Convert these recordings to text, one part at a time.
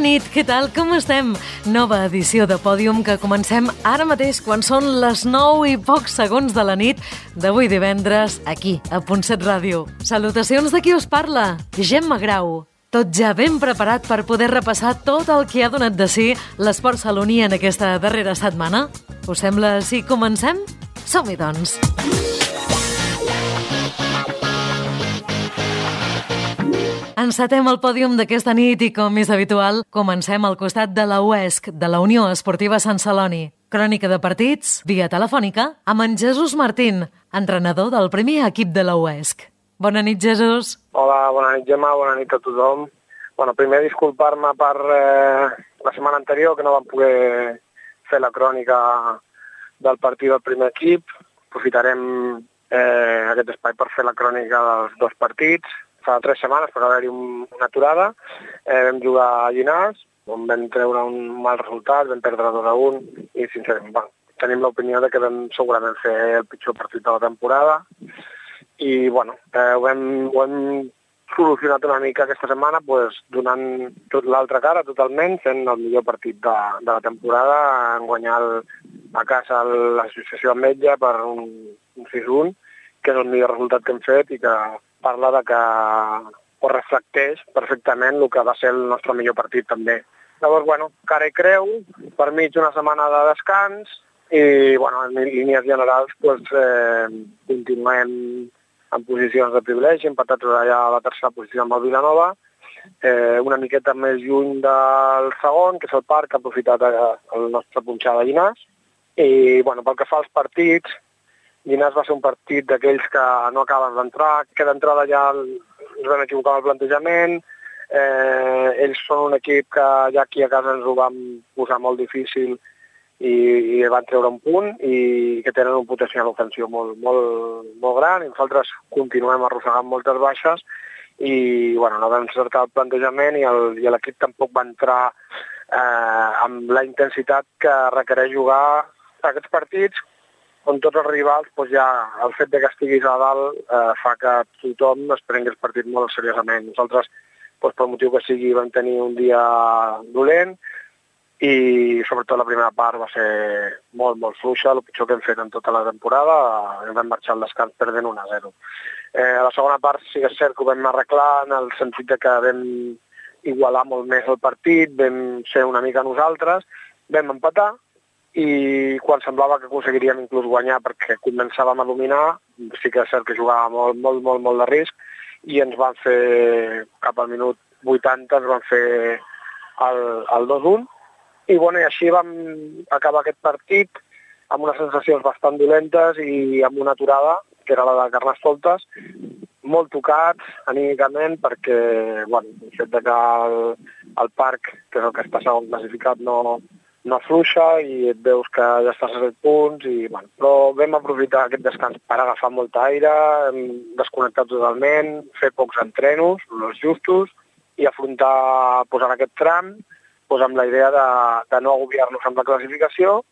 nit, què tal? Com estem? Nova edició de Pòdium que comencem ara mateix quan són les 9 i pocs segons de la nit d'avui divendres, aquí, a Punt7 Ràdio. Salutacions de qui us parla, Gemma Grau. Tot ja ben preparat per poder repassar tot el que ha donat de si l'esport saloní en aquesta darrera setmana? Us sembla si comencem? Som-hi, doncs! Encetem el pòdium d'aquesta nit i, com és habitual, comencem al costat de la UESC, de la Unió Esportiva Sant Celoni. Crònica de partits, via telefònica, amb en Jesús Martín, entrenador del primer equip de la UESC. Bona nit, Jesús. Hola, bona nit, Gemma, bona nit a tothom. Primer disculpar-me per la setmana anterior, que no vam poder fer la crònica del partit del primer equip. Aprofitarem aquest espai per fer la crònica dels dos partits. Fa 3 setmanes per haver-hi una aturada, vam jugar a Llinars, on vam treure un mal resultat, vam perdre 2-1 i sincerament tenim l'opinió de que vam segurament fer el pitjor partit de la temporada i ho hem solucionat una mica aquesta setmana donant tot l'altra cara totalment, fent el millor partit de la temporada, en guanyar a casa l'associació Ametlla per un 6-1, que és el millor resultat que hem fet i que parla de que reflecteix perfectament el que va ser el nostre millor partit també. Llavors, cara i creu, per mig una setmana de descans i, en línies generals, continuem en posicions de privilegi, empatats allà a la tercera posició amb el Vilanova, una miqueta més lluny del segon, que és el Parc, que ha aprofitat el nostre punxar de Llinars. I, pel que fa als partits, Llinars va ser un partit d'aquells que no acaben d'entrar, que d'entrada ja ens vam equivocar amb el plantejament, ells són un equip que ja aquí a casa ens ho vam posar molt difícil i van treure un punt i que tenen un potencial ofensiu molt, molt, molt gran i nosaltres continuem arrossegant moltes baixes i no vam encertar el plantejament i l'equip tampoc va entrar amb la intensitat que requereix jugar aquests partits on tots els rivals, ja el fet que estiguis a dalt fa que tothom es prengui els partits molt seriosament. Nosaltres, pel motiu que sigui, vam tenir un dia dolent i sobretot la primera part va ser molt, molt fluixa, el pitjor que hem fet en tota la temporada, vam marxar al descans perdent 1-0. A la segona part sí que és cert que ho vam arreglar en el sentit que vam igualar molt més el partit, vam ser una mica nosaltres, vam empatar, i quan semblava que aconseguiríem inclús guanyar perquè començàvem a dominar, sí que és cert que jugàvem molt, molt, molt, molt de risc i ens van fer, cap al minut 80, ens van fer el 2-1 i així vam acabar aquest partit amb unes sensacions bastant dolentes i amb una aturada, que era la de Carnestoltes, molt tocats anímicament perquè el fet que el Parc, que és el que està segon classificat, no afluixa i et veus que ja estàs a 7 punts però vam aprofitar aquest descans per agafar molt aire, desconnectar totalment, fer pocs entrenos, els justos i afrontar en aquest tram amb la idea de no agobiar-nos amb la classificació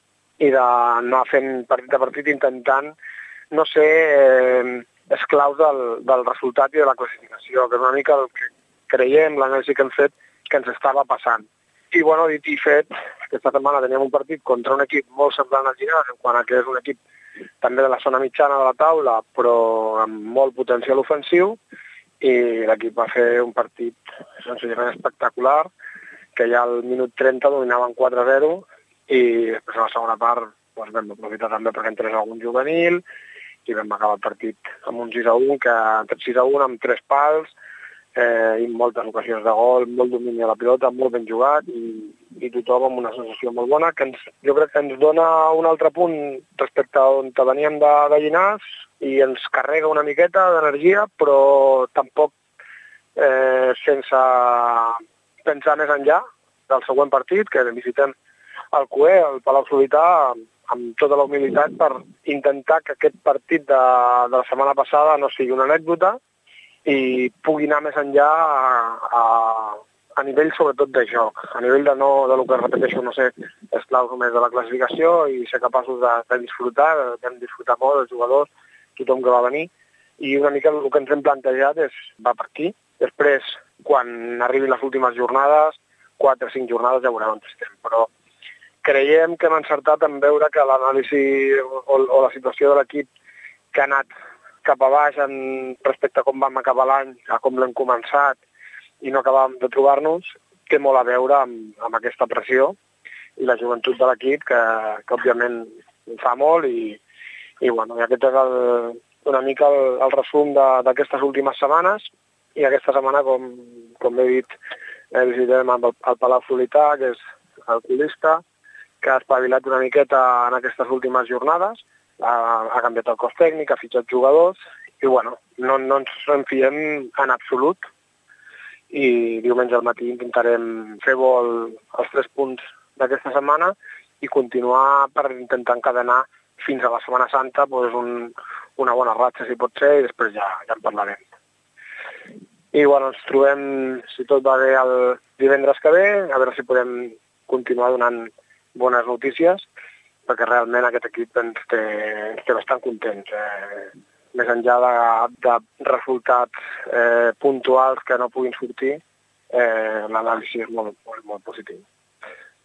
i d'anar fent partit a partit intentant no ser esclaus del resultat i de la classificació, que és una mica el que creiem, l'anàlisi que hem fet, que ens estava passant. I, dit i fet, aquesta setmana teníem un partit contra un equip molt semblant al Llinars, en quant a que és un equip també de la zona mitjana de la taula, però amb molt potencial ofensiu, i l'equip va fer un partit senzillament espectacular, que ja al minut 30 dominaven 4-0, i després a la segona part vam aprofitar també perquè entrés algun juvenil, i vam acabar el partit amb un 6-1, que 6-1 amb 3 pals, i moltes ocasions de gol, molt domini a la pilota, molt ben jugat i tothom amb una sensació molt bona que jo crec que ens dona un altre punt respecte a on veníem de Llinars i ens carrega una miqueta d'energia, però tampoc sense pensar més enllà del següent partit, que visitem el CUE, el Palau Solità, amb tota la humilitat per intentar que aquest partit de la setmana passada no sigui una anècdota i pugui anar més enllà a nivell sobretot de joc, a nivell de lo que repeteixo, no ser esclaus només de la classificació i ser capaços de disfrutar, vam disfrutar molt els jugadors, tothom que va venir, i una mica el que ens hem plantejat va per aquí. Després, quan arribin les últimes jornades, 4 o 5 jornades ja veurem on estem, però creiem que hem encertat en veure que l'anàlisi o la situació de l'equip que ha anat cap a baix respecte a com vam acabar l'any, a com l'hem començat i no acabàvem de trobar-nos, té molt a veure amb aquesta pressió i la joventut de l'equip, que òbviament fa molt i aquest és una mica el resum d'aquestes últimes setmanes i aquesta setmana, com he dit, visitem el Palau Solità, que és el colista, que ha espavilat una miqueta en aquestes últimes jornades, ha canviat el cos tècnic, ha fitxat jugadors i no ens en fiem en absolut i diumenge al matí intentarem fer bo els 3 punts d'aquesta setmana i continuar per intentar encadenar fins a la Setmana Santa una bona ratxa, si pot ser, i després ja en parlarem. I ens trobem, si tot va bé, el divendres que ve, a veure si podem continuar donant bones notícies, perquè realment aquest equip ens té bastant contents. Més enllà de resultats puntuals que no puguin sortir, l'anàlisi és molt, molt, molt positiu.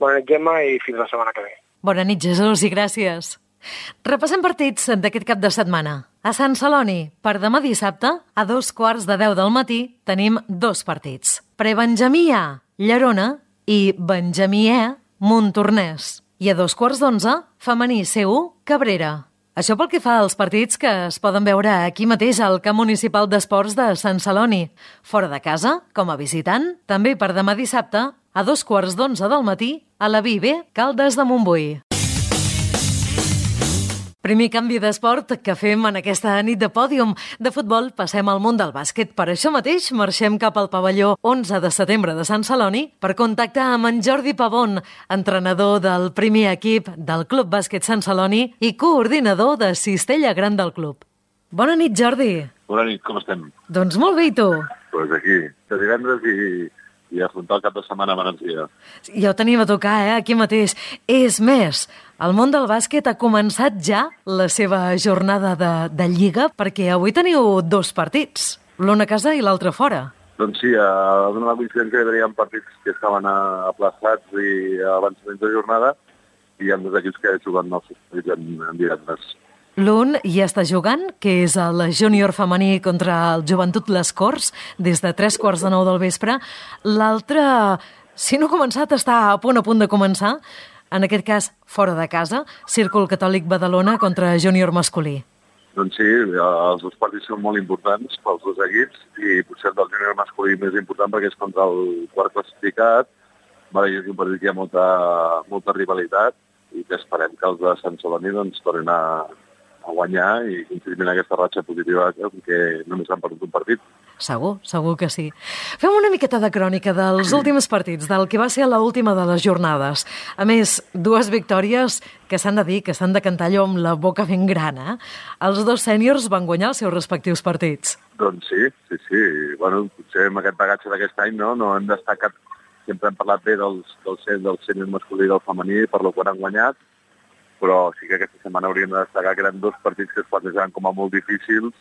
Bona nit, Gemma, i fins la setmana que ve. Bona nit, Jesús, i gràcies. Repassem partits d'aquest cap de setmana. A Sant Celoni, per demà dissabte, a 9:15 del matí, tenim 2 partits. Prebenjamí A, Llerona, i Benjamí E, Montornès. I a 11:15, femení C1, Cabrera. Això pel que fa als partits que es poden veure aquí mateix al Camp Municipal d'Esports de Sant Celoni. Fora de casa, com a visitant, també per demà dissabte, a 9:15 del matí, a la VIB Caldes de Montbui. Primer canvi d'esport que fem en aquesta nit de pòdium. De futbol passem al món del bàsquet. Per això mateix marxem cap al pavelló 11 de setembre de Sant Celoni per contactar amb en Jordi Pavón, entrenador del primer equip del Club Bàsquet Sant Celoni i coordinador de Cistella Gran del club. Bona nit, Jordi. Bona nit, com estem? Doncs molt bé, i tu? Doncs aquí, de divendres i afrontar el cap de setmana amb energia. Ja ho tenim a tocar, aquí mateix. És més, el món del bàsquet ha començat ja la seva jornada de Lliga, perquè avui teniu 2 partits, l'un a casa i l'altre fora. Doncs sí, a donar la coincidència que teníem partits que estaven aplaçats i avançaments de jornada i hi ha 2 equips que juguen els seus partits en divendres. L'un ja està jugant, que és el júnior femení contra el Joventut Les Corts, des de 9:15 del vespre. L'altre, si no ha començat, està a punt de començar. En aquest cas, fora de casa, Círcul Catòlic Badalona contra júnior masculí. Doncs sí, els 2 partits són molt importants pels 2 equips i potser el del júnior masculí més important perquè és contra el quart classificat. És un partit que hi ha molta rivalitat i que esperem que els de Sant Celoni tornin a guanyar i continuïn aquesta ratxa positiva que només han perdut un partit. Segur que sí. Fem una miqueta de crònica dels últims partits, del que va ser l'última de les jornades. A més, 2 victòries que s'han de dir, que s'han de cantar allò amb la boca ben gran, eh? Els 2 sèniors van guanyar els seus respectius partits. Doncs sí. Potser amb aquest bagatge d'aquest any no hem destacat, sempre hem parlat bé del sènior masculí i del femení per lo que han guanyat, però sí que aquesta setmana hauríem de destacar que eren 2 partits que es plantejaven com a molt difícils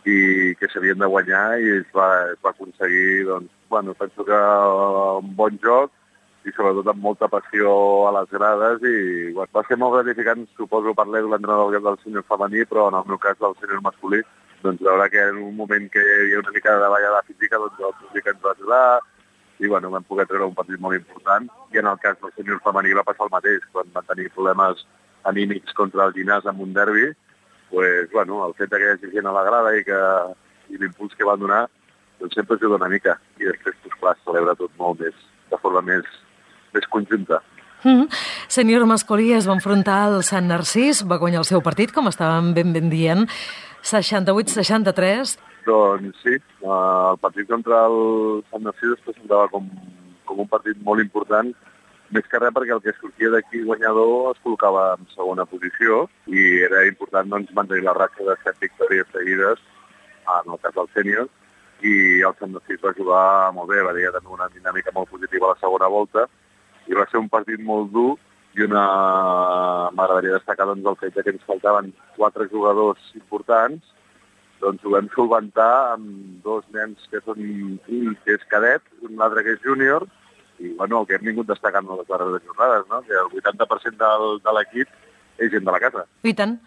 i que s'havien de guanyar i es va aconseguir, penso que un bon joc i sobretot amb molta passió a les grades i va ser molt gratificant, suposo, per l'entrenador del sènior femení, però en el meu cas del sènior masculí, veure que en un moment que hi havia una mica de davallada física, el públic ens va ajudar i vam poder treure un partit molt important i en el cas del sènior femení va passar el mateix, quan van tenir problemes anímics contra el Llinàs amb un derbi, el fet que hi hagi gent a la grada i l'impuls que van donar sempre ajuda una mica i després es celebra tot molt més, de forma més conjunta. Sènior masculí es va enfrontar al Sant Narcís, va guanyar el seu partit, com estàvem ben dient, 68-63. Doncs sí, el partit contra el Sant Narcís es presentava com un partit molt important, més que res perquè el que sortia d'aquí guanyador es col·locava en segona posició i era important mantenir la ratxa de 7 victòries seguides, en el cas del sènior, i el Sant Narcís va jugar molt bé, va dir també una dinàmica molt positiva a la segona volta i va ser un partit molt dur i m'agradaria destacar el fet que ens faltaven 4 jugadors importants, ho vam solventar amb 2 nens que són un que és cadet, un altre que és júnior, I bueno, el que hem vingut destacant en les darreres jornades, no? Que el 80% de l'equip és gent de la casa. I tant.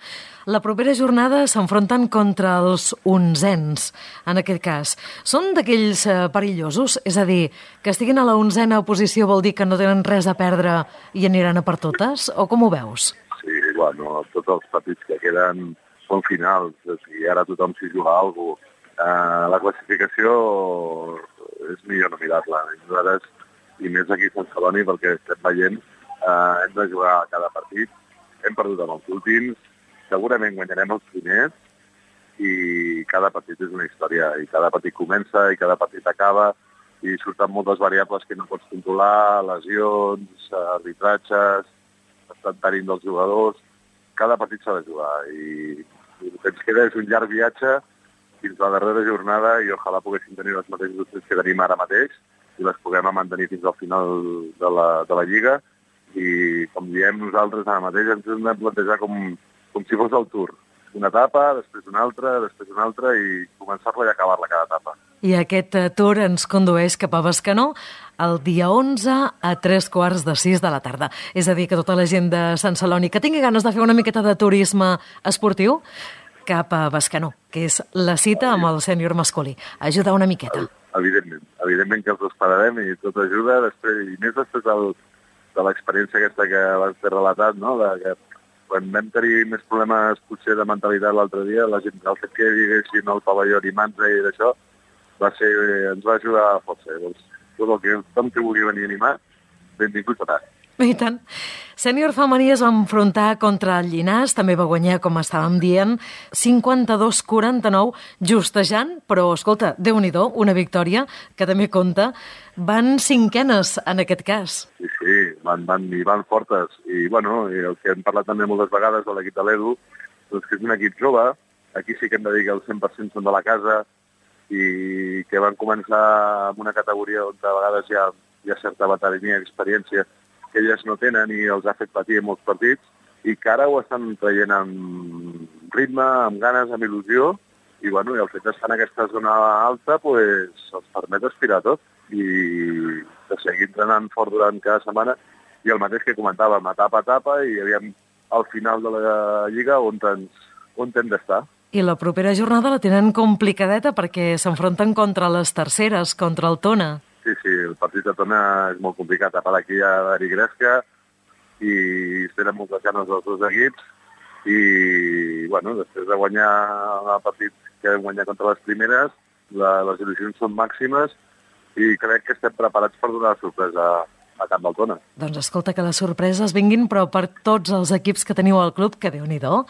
La propera jornada s'enfronten contra els onzens, en aquest cas. Són d'aquells perillosos? És a dir, que estiguin a la 11a posició vol dir que no tenen res a perdre i aniran a per totes? O com ho veus? Sí, bueno, tots els partits que queden són finals. O sigui, ara tothom s'hi juga alguna cosa. La classificació és millor no mirar-la. Nosaltres, i més aquí a Sant Celoni, perquè estem veient, hem de jugar cada partit. Hem perdut amb els últims, segurament guanyarem els primers i cada partit és una història i cada partit comença i cada partit acaba i surten moltes variables que no pots controlar, lesions, arbitratges, estan tenint dels jugadors. Cada partit s'ha de jugar i el que ens queda és un llarg viatge fins a la darrera jornada i ojalà poguéssim tenir les mateixes opcions que tenim ara mateix i les puguem mantenir fins al final de la Lliga. I, com diem nosaltres, ara mateix ens hem de plantejar com si fos el Tour. Una etapa, després una altra, i començar-la i acabar-la cada etapa. I aquest Tour ens condueix cap a Bescanó el dia 11 a 3:45 de la tarda. És a dir, que tota la gent de Sant Celoni que tingui ganes de fer una miqueta de turisme esportiu, cap a Bescanó, que és la cita amb el sènior masculí. Ajudar una miqueta. Evidentment que els esperarem i tot ajuda, i més després de l'experiència aquesta que vas fer relatat, no? Que quan vam tenir més problemes potser de mentalitat l'altre dia, la gent, el fet que diguessin el pavelló animant-se i d'això, ens va ajudar força. Doncs, tot el que vulgui venir a animar, benvinguts a tant. I tant. Sènior femení es va enfrontar contra el Llinàs, també va guanyar, com estàvem dient, 52-49, justejant, però, escolta, Déu-n'hi-do, una victòria que també compta. Van cinquenes, en aquest cas. Sí, van fortes. I, bueno, el que hem parlat també moltes vegades de l'equip de l'Edu, doncs que és un equip jove, aquí sí que hem de dir que el 100% són de la casa i que van començar amb una categoria on a vegades hi ha certa veterania i experiència que elles no tenen i els ha fet patir en molts partits i que ara ho estan traient amb ritme, amb ganes, amb il·lusió i, bueno, el fet d'estar en aquesta zona alta pues, els permet aspirar tot i de seguir entrenant fort durant cada setmana i el mateix que comentàvem, etapa a etapa i aviam al final de la Lliga on hem d'estar. I la propera jornada la tenen complicadeta perquè s'enfronten contra les terceres, contra el Tona. Sí, el partit de Tona és molt complicat. A part aquí hi ha Dari Gresca i tenen moltes ganes dels dos equips i, bueno, després de guanyar el partit que hem guanyat contra les primeres, les il·lusions són màximes i crec que estem preparats per donar sorpresa a Camp del Tona. Doncs escolta, que les sorpreses vinguin, però per tots els equips que teniu al club, que Déu-n'hi-do.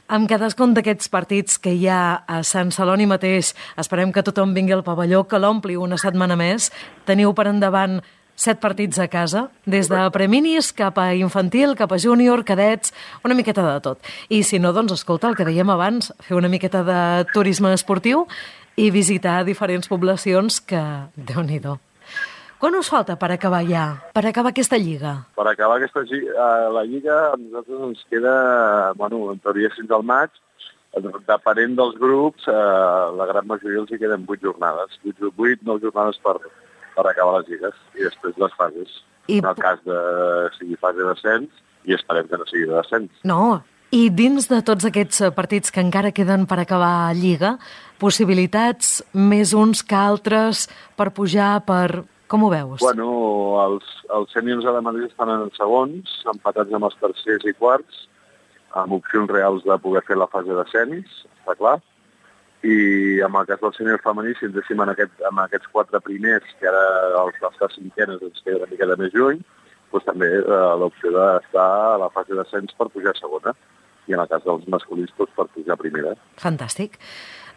Amb cadascun d'aquests partits que hi ha a Sant Celoni mateix, esperem que tothom vingui al pavelló, que l'ompli una setmana més. Teniu per endavant 7 partits a casa, des de preminis cap a infantil, cap a júnior, cadets, una miqueta de tot. I si no, doncs escolta, el que dèiem abans, fer una miqueta de turisme esportiu i visitar diferents poblacions que, Déu-n'hi-do. Quan us falta per acabar ja? Per acabar aquesta Lliga? Per acabar la Lliga a nosaltres ens queda, bueno, en teoria fins al maig, depenent dels grups, la gran majoria els hi queden 8 jornades. 9 jornades per acabar les lligues i després les fases. En el cas de sigui fase d'ascens i esperem que no sigui de descens. No, i dins de tots aquests partits que encara queden per acabar Lliga, possibilitats més uns que altres per pujar, per... Com ho veus? Bueno, els sèniors ara mateix estan en segons, empatats amb els tercers i quarts, amb opcions reals de poder fer la fase d'ascens, està clar. I en el cas del sènior femení, si ens deixem amb aquests 4 primers, que ara les cinquenes ens queda una mica més lluny, doncs també l'opció d'estar a la fase d'ascens per pujar a segona. I en el cas dels masculins, doncs per pujar a primera. Fantàstic.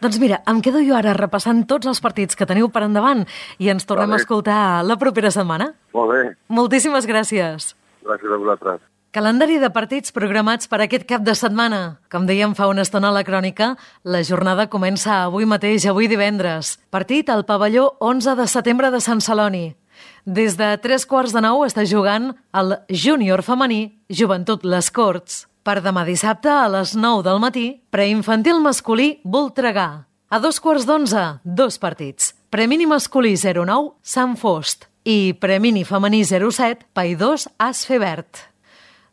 Doncs mira, em quedo jo ara repassant tots els partits que teniu per endavant i ens tornem a escoltar la propera setmana. Molt bé. Moltíssimes gràcies. Gràcies a vosaltres. Calendari de partits programats per aquest cap de setmana. Com dèiem fa una estona a la crònica, la jornada comença avui mateix, avui divendres. Partit al pavelló 11 de setembre de Sant Celoni. Des de 8:45 està jugant el júnior femení Joventut Les Corts. Per demà dissabte, a les 9 del matí, preinfantil masculí Voltregà. A 2:15, 2 partits. Premini masculí 09, Sant Fost. i Premini femení 07, Paidós As Febert.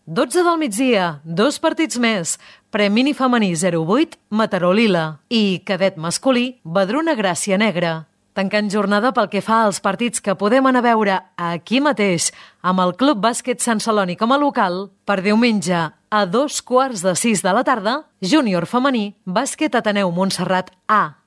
12 del migdia, 2 partits més, Premini femení 08, Mataró Lila i cadet masculí, Badruna Gràcia Negra. Tancant jornada pel que fa als partits que podem anar a veure aquí mateix amb el Club Bàsquet Sant Celoni com a local, per diumenge a 2:45 de la tarda, júnior femení, Bàsquet Ateneu Montserrat A.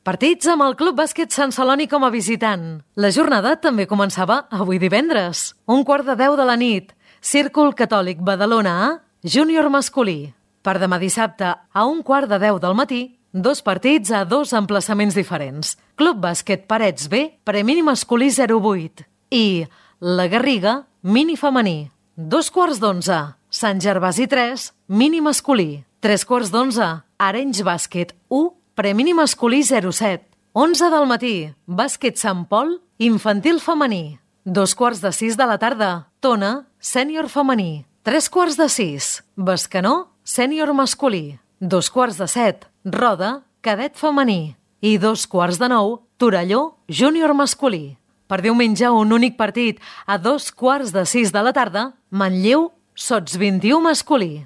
Partits amb el Club Bàsquet Sant Celoni com a visitant. La jornada també començava avui divendres, 1:15 de la nit, Círcul Catòlic Badalona A, júnior masculí. Per demà dissabte a 1:15 del matí, 2 partits a 2 emplaçaments diferents. Club Bàsquet Parets B, Premini masculí 08 i La Garriga, mini femení. 2:15, Sant Gervasi 3, mini masculí. 3:15, Arenys Bàsquet 1, Premini masculí 07. 11 del matí, Bàsquet Sant Pol, infantil femení. 2:45 de la tarda, Tona, sènior femení. 3:45, Bescanó, sènior masculí. 2:45, Roda, cadet femení. I 2:45, Torelló, júnior masculí. Per diumenge, un únic partit, a 2:45 de la tarda, Manlleu, Sots 21 masculí.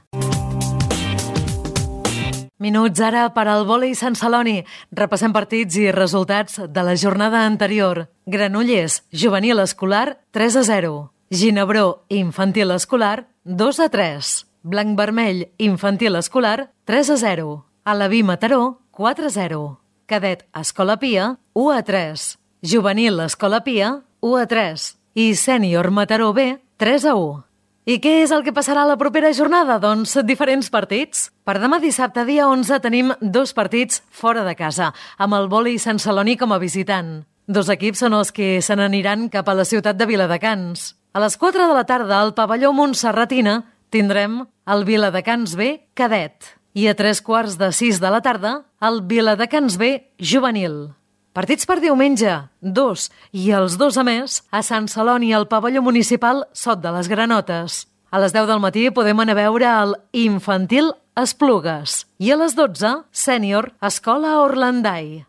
Minuts ara per al vòlei Sant Celoni. Repassem partits i resultats de la jornada anterior. Granollers, juvenil escolar, 3-0. Ginebró, infantil escolar, 2-3. Blanc-vermell, infantil escolar, 3-0. Alaví Mataró, 4-0. Cadet Escola Pia, 1-3. Juvenil Escola Pia, 1-3. I sènior Mataró B, 3-1. I què és el que passarà a la propera jornada? Doncs diferents partits. Per demà dissabte, dia 11, tenim 2 partits fora de casa, amb el vòlei Sant Celoni com a visitant. 2 equips són els que se n'aniran cap a la ciutat de Viladecans. A les 4 de la tarda, al pavelló Montserratina, tindrem el Viladecans B cadet. I a 3:15 de la tarda, el Viladecans B juvenil. Partits per diumenge, 2, i els 2 a més, a Sant Celoni al pavelló municipal Sot de les Granotes. A les 10 del matí podem anar a veure el infantil Esplugues i a les 12, sènior Escola Orlandai.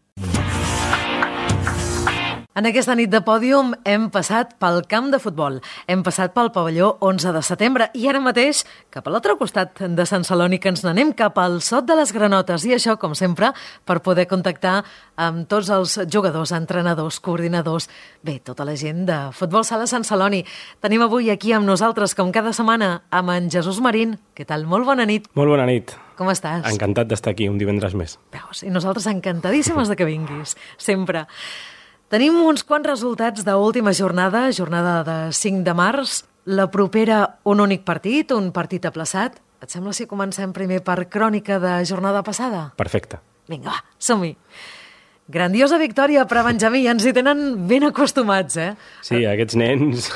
En aquesta nit de pòdium hem passat pel camp de futbol, hem passat pel pavelló 11 de setembre i ara mateix cap a l'altre costat de Sant Celoni, que ens n'anem cap al Sot de les Granotes, i això, com sempre, per poder contactar amb tots els jugadors, entrenadors, coordinadors, bé, tota la gent de Futbol Sala Sant Celoni. Tenim avui aquí amb nosaltres, com cada setmana, amb en Jesús Marín. Què tal? Molt bona nit. Molt bona nit. Com estàs? Encantat d'estar aquí un divendres més. Veus, i nosaltres encantadíssimes de que vinguis, sempre. Tenim uns quants resultats d'última jornada, jornada de 5 de març. La propera, un únic partit, un partit aplaçat. Et sembla si comencem primer per crònica de jornada passada? Perfecte. Vinga, va, som-hi. Grandiosa victòria per a Benjamí, ens hi tenen ben acostumats, eh? Sí, aquests nens...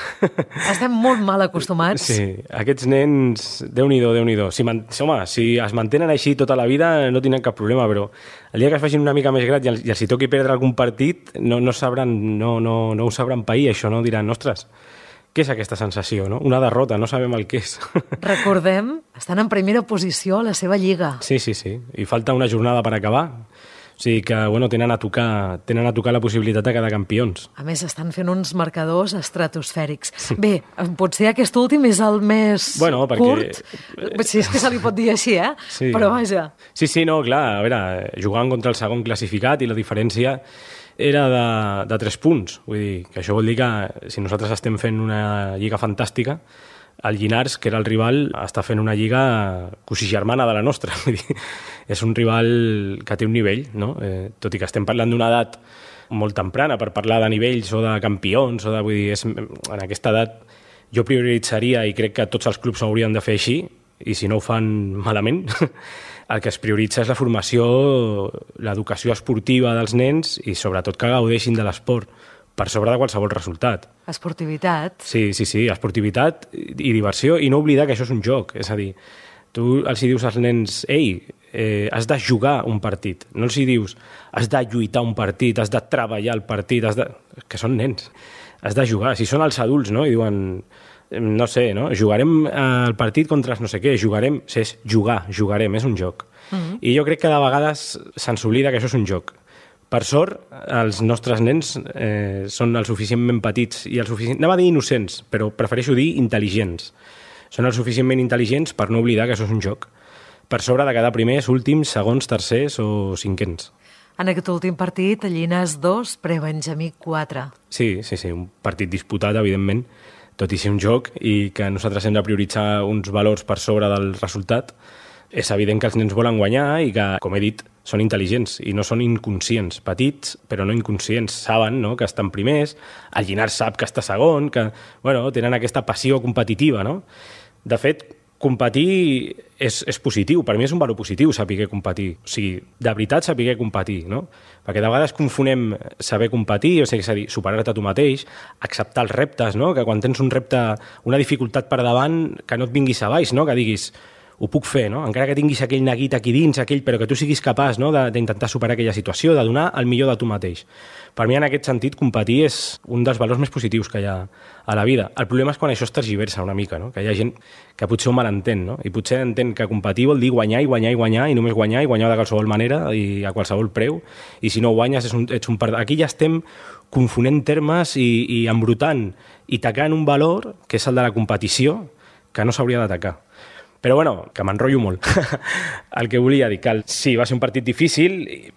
Estem molt mal acostumats. Sí, aquests nens, Déu-n'hi-do, Déu-n'hi-do. Si es mantenen així tota la vida no tindran cap problema, però el dia que es facin una mica més grans i els hi toqui perdre algun partit no ho sabran pair, això, no? Diran, ostres, què és aquesta sensació, no? Una derrota, no sabem el que és. Recordem, estan en primera posició a la seva lliga. Sí, i falta una jornada per acabar. O sigui que, bueno, tenen a tocar la possibilitat de quedar campions. A més, estan fent uns marcadors estratosfèrics. Bé, potser aquest últim és el més curt, si és que se li pot dir així, eh? Sí. Però vaja. Sí, no, clar, a veure, jugant contra el segon classificat i la diferència era de 3 punts. Vull dir, que això vol dir que si nosaltres estem fent una lliga fantàstica, el Llinars, que era el rival, està fent una lliga cossigermana de la nostra. Vull dir, és un rival que té un nivell, no? Tot i que estem parlant d'una edat molt temprana per parlar de nivells o de campions, vull dir, en aquesta edat jo prioritzaria, i crec que tots els clubs ho haurien de fer així, i si no ho fan malament, el que es prioritza és la formació, l'educació esportiva dels nens i sobretot que gaudeixin de l'esport per sobre de qualsevol resultat. Esportivitat. Sí, esportivitat i diversió, i no oblidar que això és un joc. És a dir, tu els hi dius als nens, ei, has de jugar un partit. No els hi dius, has de lluitar un partit, has de treballar el partit, que són nens. Has de jugar. Si són els adults, no? I diuen, no sé, no? Jugarem el partit contra no sé què, jugarem, és jugarem, és un joc. I jo crec que de vegades se'ns oblida que això és un joc. Per sort, els nostres nens són el suficientment petits i anava a dir innocents, però prefereixo dir intel·ligents. Són el suficientment intel·ligents per no oblidar que això és un joc. Per sobre de quedar primers, últims, segons, tercers o cinquens. En aquest últim partit, Llinars 2, Prebenjamí 4. Sí, un partit disputat, evidentment, tot i ser un joc i que nosaltres hem de prioritzar uns valors per sobre del resultat. És evident que els nens volen guanyar i que, com he dit, són intel·ligents i no són inconscients. Petits, però no inconscients. Saben, no?, que estan primers, el Llinars sap que està segon, que tenen aquesta passió competitiva, no? De fet, competir és positiu. Per mi és un valor positiu saber competir. O sigui, de veritat saber competir, no? Perquè de vegades confonem saber competir, o sigui, és a dir, superar-te a tu mateix, acceptar els reptes, no? Que quan tens un repte, una dificultat per davant, que no et vinguis a baix, no? Que diguis, ho puc fer, no? Encara que tinguis aquell neguit aquí dins, però que tu siguis capaç, no?, d'intentar superar aquella situació, de donar el millor de tu mateix. Per mi, en aquest sentit, competir és un dels valors més positius que hi ha a la vida. El problema és quan això es tergiversa una mica, no? Que hi ha gent que potser ho malentén, no? I potser entén que competir vol dir guanyar i guanyar i guanyar, i només guanyar de qualsevol manera i a qualsevol preu, i si no guanyes ets un perdedor. Aquí ja estem confonent termes i embrutant i tacant un valor, que és el de la competició, que no s'hauria d'atacar. Però, que m'enrotllo molt. El que volia dir, que sí, va ser un partit difícil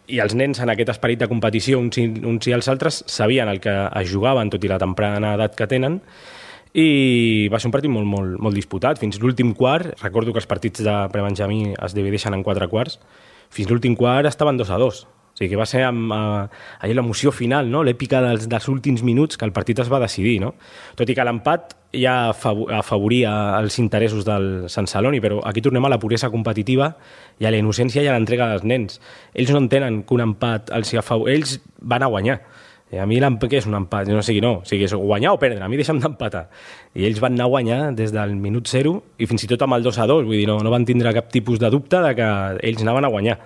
i els nens en aquest esperit de competició, uns i els altres, sabien el que es jugaven, tot i la temprana edat que tenen, i va ser un partit molt, molt, molt disputat. Fins l'últim quart, recordo que els partits de Prebenjamí es divideixen en 4 quarts, fins l'últim quart estaven 2-2. O sigui que va ser amb l'emoció final, no?, l'èpica dels últims minuts que el partit es va decidir, no? Tot i que l'empat ja afavoria els interessos del Sant Celoni, però aquí tornem a la puresa competitiva i a la innocència i a l'entrega dels nens. Ells no entenen que un empat ells van a guanyar. I a mi què és un empat? No sigui, no. O sigui, és guanyar o perdre. A mi deixa'm d'empatar. I ells van anar a guanyar des del minut 0 i fins i tot amb el 2-2. Vull dir, no van tindre cap tipus de dubte de que ells anaven a guanyar.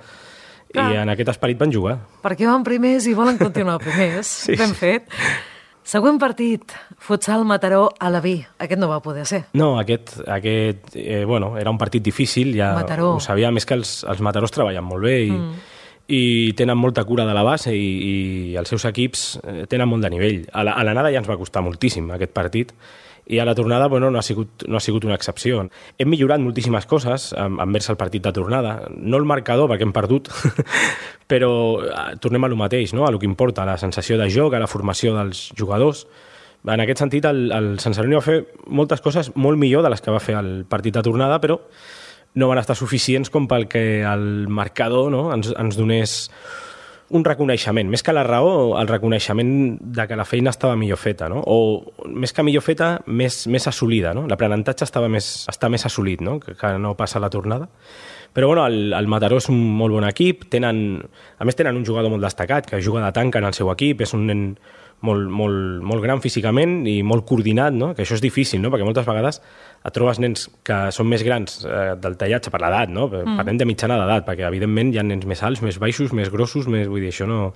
I en aquest esperit van jugar. Perquè van primers i volen continuar primers. Sí. Ben fet. Següent partit, Futsal Mataró a Alaví. Aquest no va poder ser. No, aquest era un partit difícil. Ja Mataró. Ho sabia, més que els Matarós treballen molt bé i tenen molta cura de la base i els seus equips tenen molt de nivell. A l'anada ja ens va costar moltíssim aquest partit i a la tornada no ha sigut una excepció. Hem millorat moltíssimes coses envers el partit de tornada. No el marcador, perquè hem perdut, però tornem a lo mateix, no?, a lo que importa, a la sensació de joc, a la formació dels jugadors. En aquest sentit, el Sant Celoni va fer moltes coses molt millor de les que va fer el partit de tornada, però no van estar suficients com pel que el marcador, no?, ens donés un reconeixement, més que la raó, el reconeixement de que la feina estava millor feta, no? O més que millor feta, més assolida, no? L'aprenentatge està més assolit, no?, que no passa a la tornada. Però el Mataró és un molt bon equip, a més tenen un jugador molt destacat que juga de tanca en el seu equip, és un nen molt gran físicament i molt coordinat, no?, que això és difícil, no?, perquè moltes vegades et trobes nens que són més grans del tallatge per l'edat, no? Parlem de mitjana d'edat, perquè evidentment hi ha nens més alts, més baixos, més grossos, vull dir, això no...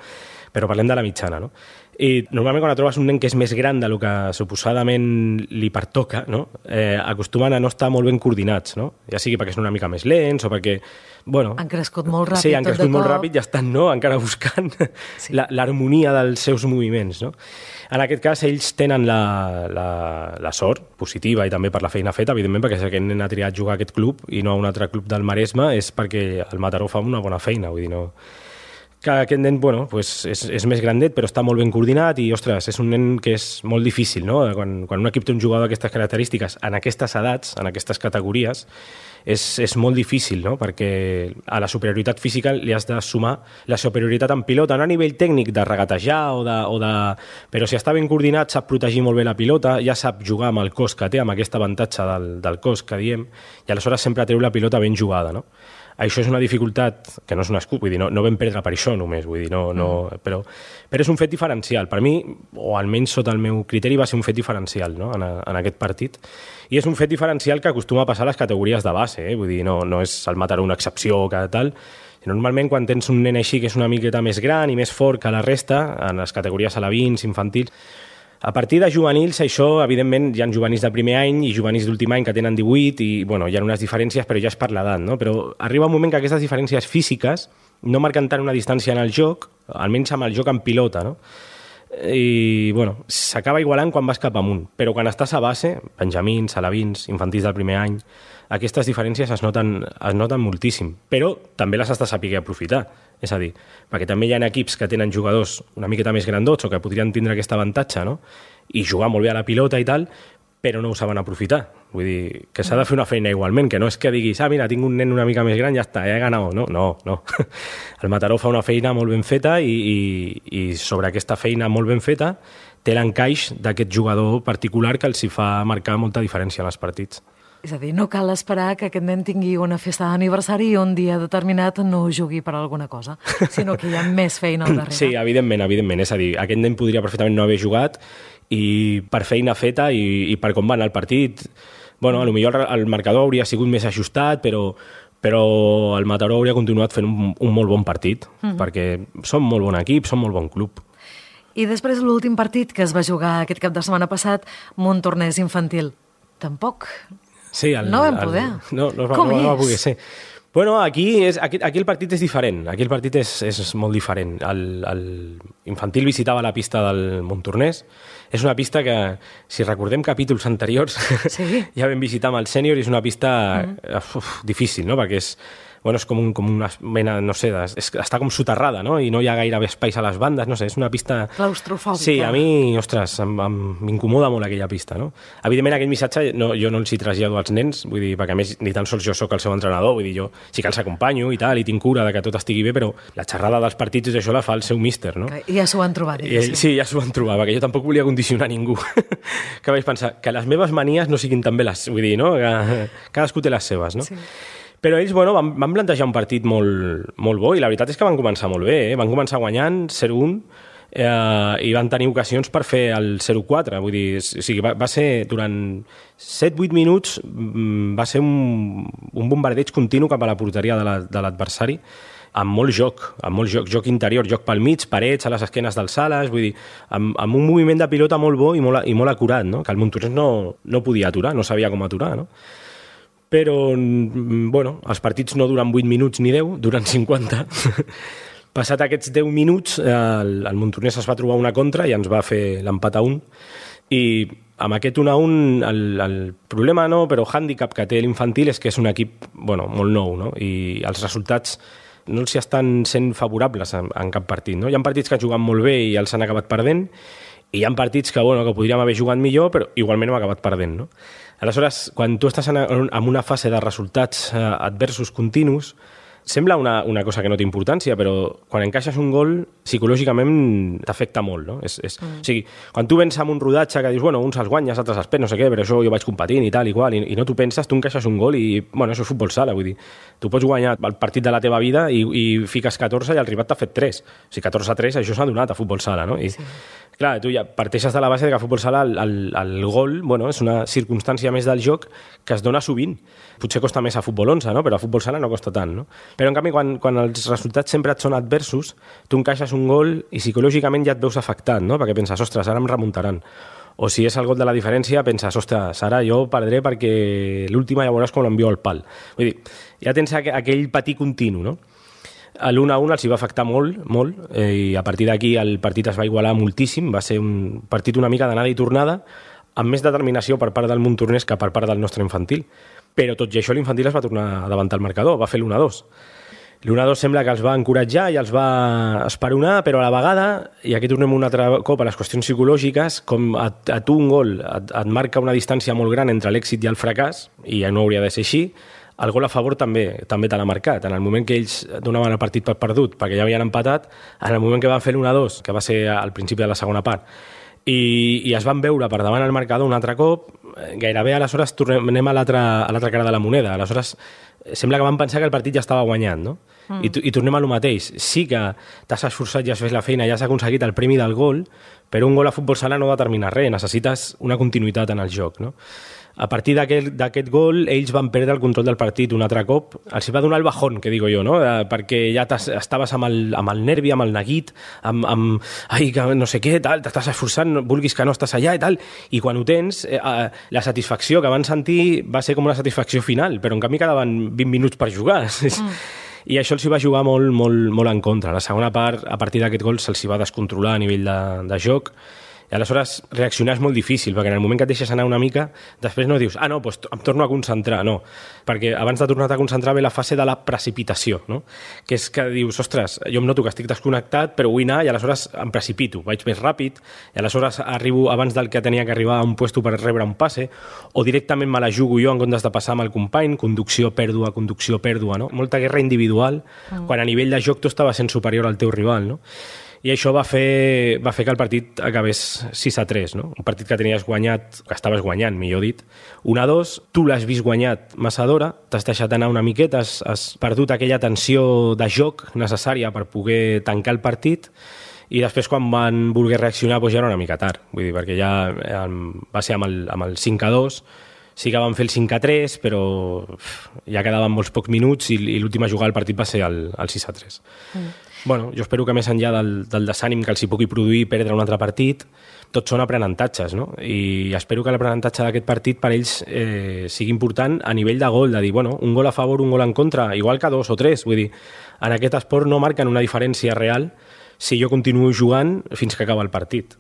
Però parlem de la mitjana, no? I normalment quan et trobes un nen que és més gran del que suposadament li pertoca, no?, acostumen a no estar molt ben coordinats, no? Ja sigui perquè són una mica més lents o perquè... Han crescut molt ràpid. Sí, han crescut molt ràpid i estan, no?, encara buscant l'harmonia dels seus moviments, no? En aquest cas, ells tenen la sort positiva i també per la feina feta, evidentment, perquè si aquest nen ha triat jugar a aquest club i no a un altre club del Maresme és perquè el Mataró fa una bona feina, vull dir, no... Que aquest nen, és més grandet, però està molt ben coordinat i, ostres, és un nen que és molt difícil, no? Quan un equip té un jugador d'aquestes característiques, en aquestes edats, en aquestes categories, és molt difícil, no?, perquè a la superioritat física li has de sumar la superioritat en pilota, no a nivell tècnic de regatejar però si està ben coordinat, sap protegir molt bé la pilota, ja sap jugar amb el cos que té, amb aquest avantatge del cos que diem, i aleshores sempre treu la pilota ben jugada, no? Això és una dificultat que no és un escut, vull dir, no vam perdre per això només, vull dir, però és un fet diferencial. Per mi, o almenys sota el meu criteri, va ser un fet diferencial, no?, en aquest partit. I és un fet diferencial que acostuma a passar a les categories de base, vull dir, no és el Mataró una excepció o cada tal. Normalment, quan tens un nen així que és una miqueta més gran i més fort que la resta, en les categories alevins, infantils, a partir de juvenils, això, evidentment, hi ha juvenils de primer any i juvenils d'últim any que tenen 18 i, hi ha unes diferències, però ja és per l'edat, no? Però arriba un moment que aquestes diferències físiques no marquen tant una distància en el joc, almenys amb el joc en pilota, no? I, bueno, s'acaba igualant quan vas cap amunt, però quan estàs a base, benjamins, alevins, infantils del primer any, aquestes diferències es noten moltíssim, però també les has de saber aprofitar. És a dir, perquè també hi ha equips que tenen jugadors una miqueta més grandots o que podrien tindre aquest avantatge, no? I jugar molt bé a la pilota i tal, però no ho saben aprofitar. Vull dir, que s'ha de fer una feina igualment, que no és que diguis, mira, tinc un nen una mica més gran, ja està, he ganat. No. El Mataró fa una feina molt ben feta i sobre aquesta feina molt ben feta té l'encaix d'aquest jugador particular que els hi fa marcar molta diferència en els partits. És a dir, no cal esperar que aquest nen tingui una festa d'aniversari i un dia determinat no jugui per alguna cosa, sinó que hi ha més feina al darrere. Sí, evidentment. És a dir, aquest nen podria perfectament no haver jugat i per feina feta i per com va anar el partit, bueno, potser el marcador hauria sigut més ajustat, però el Mataró hauria continuat fent un molt bon partit, perquè són molt bon equip, són molt bon club. I després l'últim partit que es va jugar aquest cap de setmana passat, Montornès infantil. Tampoc... Sí, no vam poder. No va poder ser. Bueno, aquí el partit és diferent. Aquí el partit és molt diferent. L'infantil visitava la pista del Montornès. És una pista que, si recordem capítols anteriors, sí. Ja vam visitar amb el sènior i és una pista difícil, no? Perquè és com una mena, no sé, està com soterrada, no? I no hi ha gaire espais a les bandes, no sé, és una pista... Claustrofòbica. Sí, a mi, ostres, m'incomoda molt aquella pista, no? Evidentment, aquell missatge jo no els hi trasllado als nens, vull dir, perquè a més ni tan sols jo sóc el seu entrenador, vull dir, jo sí que els acompanyo i tal, i tinc cura de que tot estigui bé, però la xerrada dels partits i això la fa el seu míster, no? I ja s'ho han trobat. Sí, ja s'ho han trobat, perquè jo tampoc volia condicionar ningú. Que vaig pensar, que les meves manies no siguin també les... Vull dir, no? Que cadascú té les seves, no? Sí. Però ells, van plantejar un partit molt bo i la veritat és que van començar molt bé, Van començar guanyant 0-1 i van tenir ocasions per fer el 0-4. Vull dir, o sigui, va ser durant 7-8 minuts va ser un bombardeig continu cap a la porteria de l'adversari amb molt joc interior, joc pel mig, parets a les esquenes dels ales, vull dir, amb un moviment de pilota molt bo i molt acurat, no? Que el Montornès no podia aturar, no sabia com aturar, no? Però, bueno, els partits no duren 8 minuts ni 10, duren 50. Passat aquests 10 minuts, el Montornès es va trobar una contra i ens va fer l'empat a 1. I amb aquest 1-1, el problema no, però el hàndicap que té l'infantil és que és un equip, bueno, molt nou, no? I els resultats no els estan sent favorables en cap partit, no? Hi ha partits que han jugat molt bé i els han acabat perdent, i hi ha partits que podríem haver jugat millor, però igualment hem acabat perdent, no? Aleshores, quan tu estàs en una fase de resultats adversos continus, sembla una cosa que no té importància, però quan encaixes un gol, psicològicament t'afecta molt, no? O sigui, quan tu vens amb un rodatge que dius, bueno, uns els guanyes, altres els perds, no sé què, però això jo vaig competint i tal, igual, i no t'ho penses, tu encaixes un gol i, bueno, això és futbol sala, vull dir, tu pots guanyar el partit de la teva vida i fiques 14 i el rival t'ha fet 3. O sigui, 14-3, això s'ha donat a futbol sala, no? I, sí. Clar, tu ja parteixes de la base que a futbol sala el gol, bueno, és una circumstància més del joc que es dona sovint. Potser costa més a futbol 11, no? Però a futbol sala no costa tant, no? Però en canvi, quan els resultats sempre et són adversos, tu encaixes un gol i psicològicament ja et veus afectat, no? Perquè penses, ostres, ara em remuntaran. O si és el gol de la diferència, penses, ostres, ara jo perdré perquè l'última ja veuràs com l'envio al pal. Vull dir, ja tens aquell patí continu, no? L'1-1 els hi va afectar molt, i a partir d'aquí el partit es va igualar moltíssim, va ser un partit una mica d'anada i tornada, amb més determinació per part del Montornès que per part del nostre infantil. Però tot i això l'infantil es va tornar a davantar el marcador, va fer l'1-2. L'1-2 sembla que els va encoratjar i els va esperonar, però a la vegada, i aquí tornem un altre cop a les qüestions psicològiques, com a tu un gol et marca una distància molt gran entre l'èxit i el fracàs, i ja no hauria de ser així, el gol a favor també te l'ha marcat. En el moment que ells donaven el partit per perdut, perquè ja havien empatat, en el moment que van fer l'1-2, que va ser al principi de la segona part, i es van veure per davant el marcador un altre cop, gairebé aleshores anem a l'altra cara de la moneda. Aleshores sembla que van pensar que el partit ja estava guanyat, no? I tornem a lo mateix. Sí que t'has esforçat, ja has fet la feina, ja has aconseguit el premi del gol, però un gol a futbol sala no determina res, necessites una continuïtat en el joc, no? A partir d'aquest gol, ells van perdre el control del partit un altre cop. Els va donar el bajón, que digo jo, no? Perquè ja estaves amb el nervi, amb el neguit, ai, que no sé què, tal, t'estàs esforçant, vulguis que no estàs allà i tal, i quan ho tens, la satisfacció que van sentir va ser com una satisfacció final, però en canvi quedaven 20 minuts per jugar. I això els hi va jugar molt, molt, molt en contra. La segona part, a partir d'aquest gol, se'ls hi va descontrolar a nivell de joc, i aleshores reaccionar és molt difícil, perquè en el moment que et deixes anar una mica, després no dius, doncs em torno a concentrar, no, perquè abans de tornar-te a concentrar ve la fase de la precipitació, no? Que és que dius, ostres, jo em noto que estic desconnectat, però vull anar i aleshores em precipito, vaig més ràpid, i aleshores arribo abans del que tenia que arribar a un puesto per rebre un passe, o directament me la jugo jo en comptes de passar amb el company, conducció, pèrdua, no? Molta guerra individual, quan a nivell de joc tu estaves sent superior al teu rival, no? I això va fer que el partit acabés 6-3, no? Un partit que tenies guanyat, que estaves guanyant, millor dit, 1-2, tu l'has vist guanyat massa d'hora, t'has deixat anar una miqueta, has perdut aquella tensió de joc necessària per poder tancar el partit, i després quan van voler reaccionar ja era una mica tard, vull dir, perquè ja va ser amb el 5-2, sí que van fer el 5-3, però ja quedaven molts pocs minuts i l'última jugada del partit va ser el 6-3. Bueno, jo espero que més enllà del desànim que els hi pugui produir perdre un altre partit, tots són aprenentatges, no? I espero que l'aprenentatge d'aquest partit per ells sigui important a nivell de gol, de dir, bueno, un gol a favor, un gol en contra, igual que 2 o 3, vull dir, en aquest esport no marquen una diferència real si jo continuo jugant fins que acaba el partit.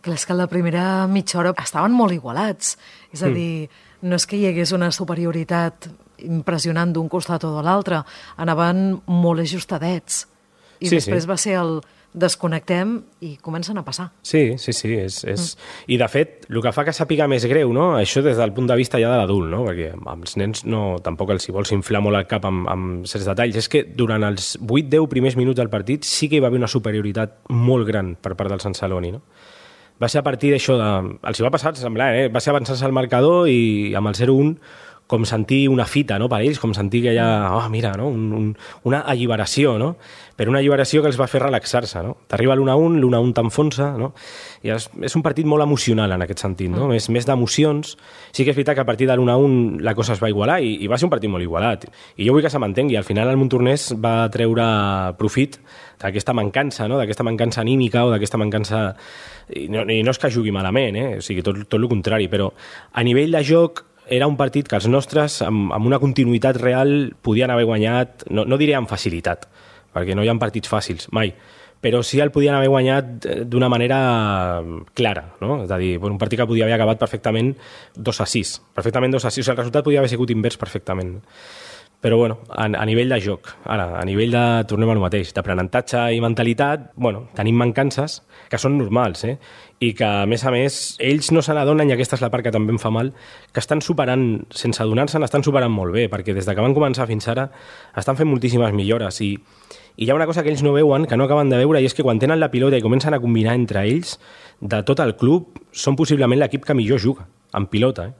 Clar, és que a la primera mitja hora estaven molt igualats, és a dir, no és que hi hagués una superioritat impressionant d'un costat o de l'altre, anaven molt ajustadets. I després va ser el desconnectem i comencen a passar. Sí. I de fet, el que fa que sàpiga més greu, no? Això des del punt de vista ja de l'adult, no? Perquè als nens tampoc els hi vols inflar molt el cap amb certs detalls, és que durant els 8-10 primers minuts del partit sí que hi va haver una superioritat molt gran per part del Sant Celoni, no? Va ser a partir d'això, els hi va passar semblant, va ser avançar-se al marcador i amb el 0-1 com sentir una fita, no, per ells, com sentir que hi ha, mira, no, una alliberació, no? Però una alliberació que els va fer relaxar-se, no? T'arriba l'1-1, l'1-1 t'enfonsa, no? I és un partit molt emocional en aquest sentit, no? Més d'emocions. Sí que és veritat que a partir de l'1-1 la cosa es va igualar i va ser un partit molt igualat. I jo vull que se m'entengui, al final el Montornès va treure profit d'aquesta mancança, no? D'aquesta mancança anímica o d'aquesta mancança... I no és que jugui malament, o sigui, tot el contrari, però a nivell de joc era un partit que els nostres, amb una continuïtat real, podien haver guanyat, no diré amb facilitat, perquè no hi ha partits fàcils, mai, però sí el podien haver guanyat d'una manera clara, no? És a dir, un partit que podia haver acabat perfectament 2-6, perfectament 2-6, o sigui, el resultat podia haver sigut invers perfectament. Però, bueno, a nivell de joc, ara, a nivell de, tornem al mateix, d'aprenentatge i mentalitat, bueno, tenim mancances que són normals, i que, a més, ells no se n'adonen, i aquesta és la part que també em fa mal, que estan superant, sense adonar-se'n, estan superant molt bé, perquè des que van començar fins ara estan fent moltíssimes millores, i hi ha una cosa que ells no veuen, que no acaben de veure, i és que quan tenen la pilota i comencen a combinar entre ells, de tot el club, són possiblement l'equip que millor juga, en pilota,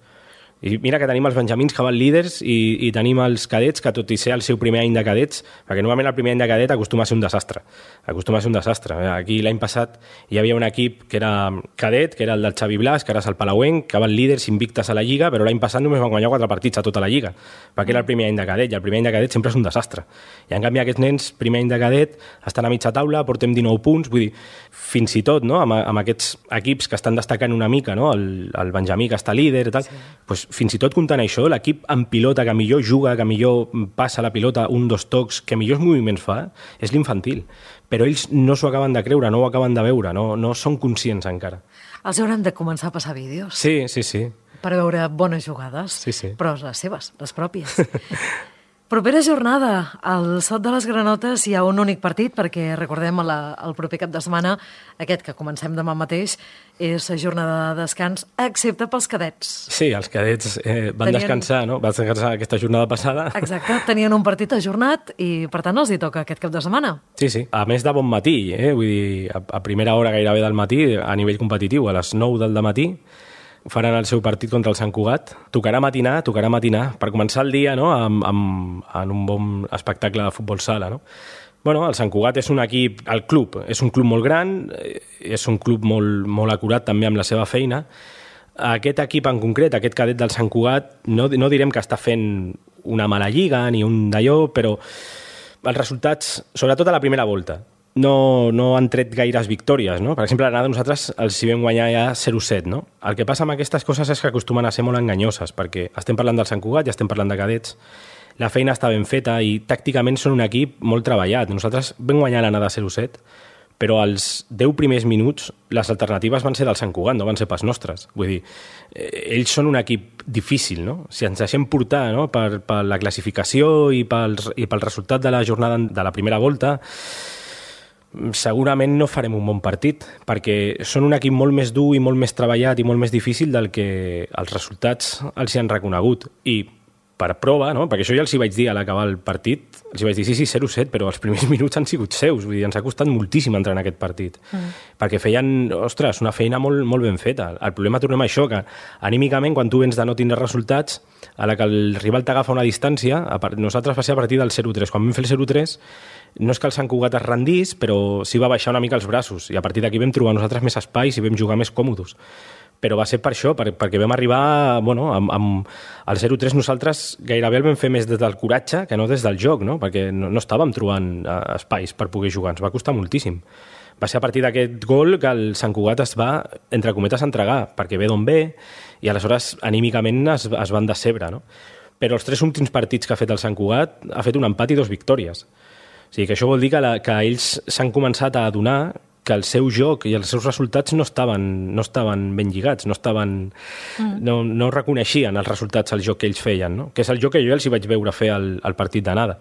I mira que tenim els benjamins que van líders i tenim els cadets, que tot i ser el seu primer any de cadets, perquè normalment el primer any de cadet acostuma a ser un desastre. Aquí l'any passat hi havia un equip que era cadet, que era el del Xavi Blas, que ara és el Palauenc, que van líders invictes a la Lliga, però l'any passat només van guanyar 4 partits a tota la Lliga, perquè era el primer any de cadet, i el primer any de cadet sempre és un desastre. I en canvi aquests nens, primer any de cadet, estan a mitja taula, portem 19 punts, vull dir, fins i tot, no? amb aquests equips que estan destacant una mica, no? el benjamí que està líder i tal, doncs fins i tot comptant això, l'equip en pilota que millor juga, que millor passa la pilota, 1-2 tocs, que millors moviments fa, és l'infantil. Però ells no s'ho acaben de creure, no ho acaben de veure, no són conscients encara. Els hauran de començar a passar vídeos. Sí. Per veure bones jugades, sí. Però les seves, les pròpies. Propera jornada, al Sot de les Granotes hi ha un únic partit, perquè recordem el proper cap de setmana, aquest que comencem demà mateix, és la jornada de descans, excepte pels cadets. Sí, els cadets van descansar, no? Van descansar aquesta jornada passada. Exacte, tenien un partit ajornat i per tant els hi toca aquest cap de setmana. Sí. A més de bon matí, vull dir, a primera hora gairebé del matí, a nivell competitiu, a les 9 del matí, faran el seu partit contra el Sant Cugat. Tocarà matinar, per començar el dia, no? en un bon espectacle de futbol sala, no? Bueno, el Sant Cugat és un equip, el club és un club molt gran, és un club molt acurat també amb la seva feina. Aquest equip en concret, aquest cadet del Sant Cugat, no direm que està fent una mala lliga ni un d'allò, però els resultats, sobretot a la primera volta, no han tret gaires victòries, no? Per exemple, l'anada nosaltres els hi vam guanyar ja 0-7, no? El que passa amb aquestes coses és que acostumen a ser molt enganyoses, perquè estem parlant del Sant Cugat i estem parlant de cadets. la feina està ben feta i tàcticament són un equip molt treballat. Nosaltres vam guanyar l'anada 0-7, però als 10 primers minuts les alternatives van ser del Sant Cugat, no van ser pas nostres. Vull dir, ells són un equip difícil, no? Si ens deixem portar, no? per la classificació i pel resultat de la jornada de la primera volta, segurament no farem un bon partit, perquè són un equip molt més dur i molt més treballat i molt més difícil del que els resultats els hi han reconegut. I per prova, no? Perquè això ja els hi vaig dir a l'acabar el partit, els hi vaig dir sí, 0-7, però els primers minuts han sigut seus, vull dir, ens ha costat moltíssim entrar en aquest partit, perquè feien, ostres, una feina molt, molt ben feta. El problema, tornem a això, que anímicament, quan tu vens de no tindre resultats, a la que el rival t'agafa una distància, nosaltres va ser a partir del 0-3. Quan vam fer el 0-3, no és que el Sant Cugat es rendís, però sí va baixar una mica els braços, i a partir d'aquí vam trobar nosaltres més espais i vam jugar més còmodes. Però va ser per això, perquè vam arribar, bueno, amb el 0-3 nosaltres gairebé el vam fer més des del coratge que no des del joc, no? Perquè no estàvem trobant espais per poder jugar, ens va costar moltíssim. Va ser a partir d'aquest gol que el Sant Cugat es va, entre cometes, entregar, perquè ve d'on ve, i aleshores anímicament es van decebre, no? Però els 3 últims partits que ha fet el Sant Cugat ha fet un empat i 2 victòries. O sigui que això vol dir que ells s'han començat a adonar que el seu joc i els seus resultats no estaven ben lligats, no reconeixien els resultats al joc que ells feien, no? Que és el joc que jo els hi vaig veure fer al partit d'anada.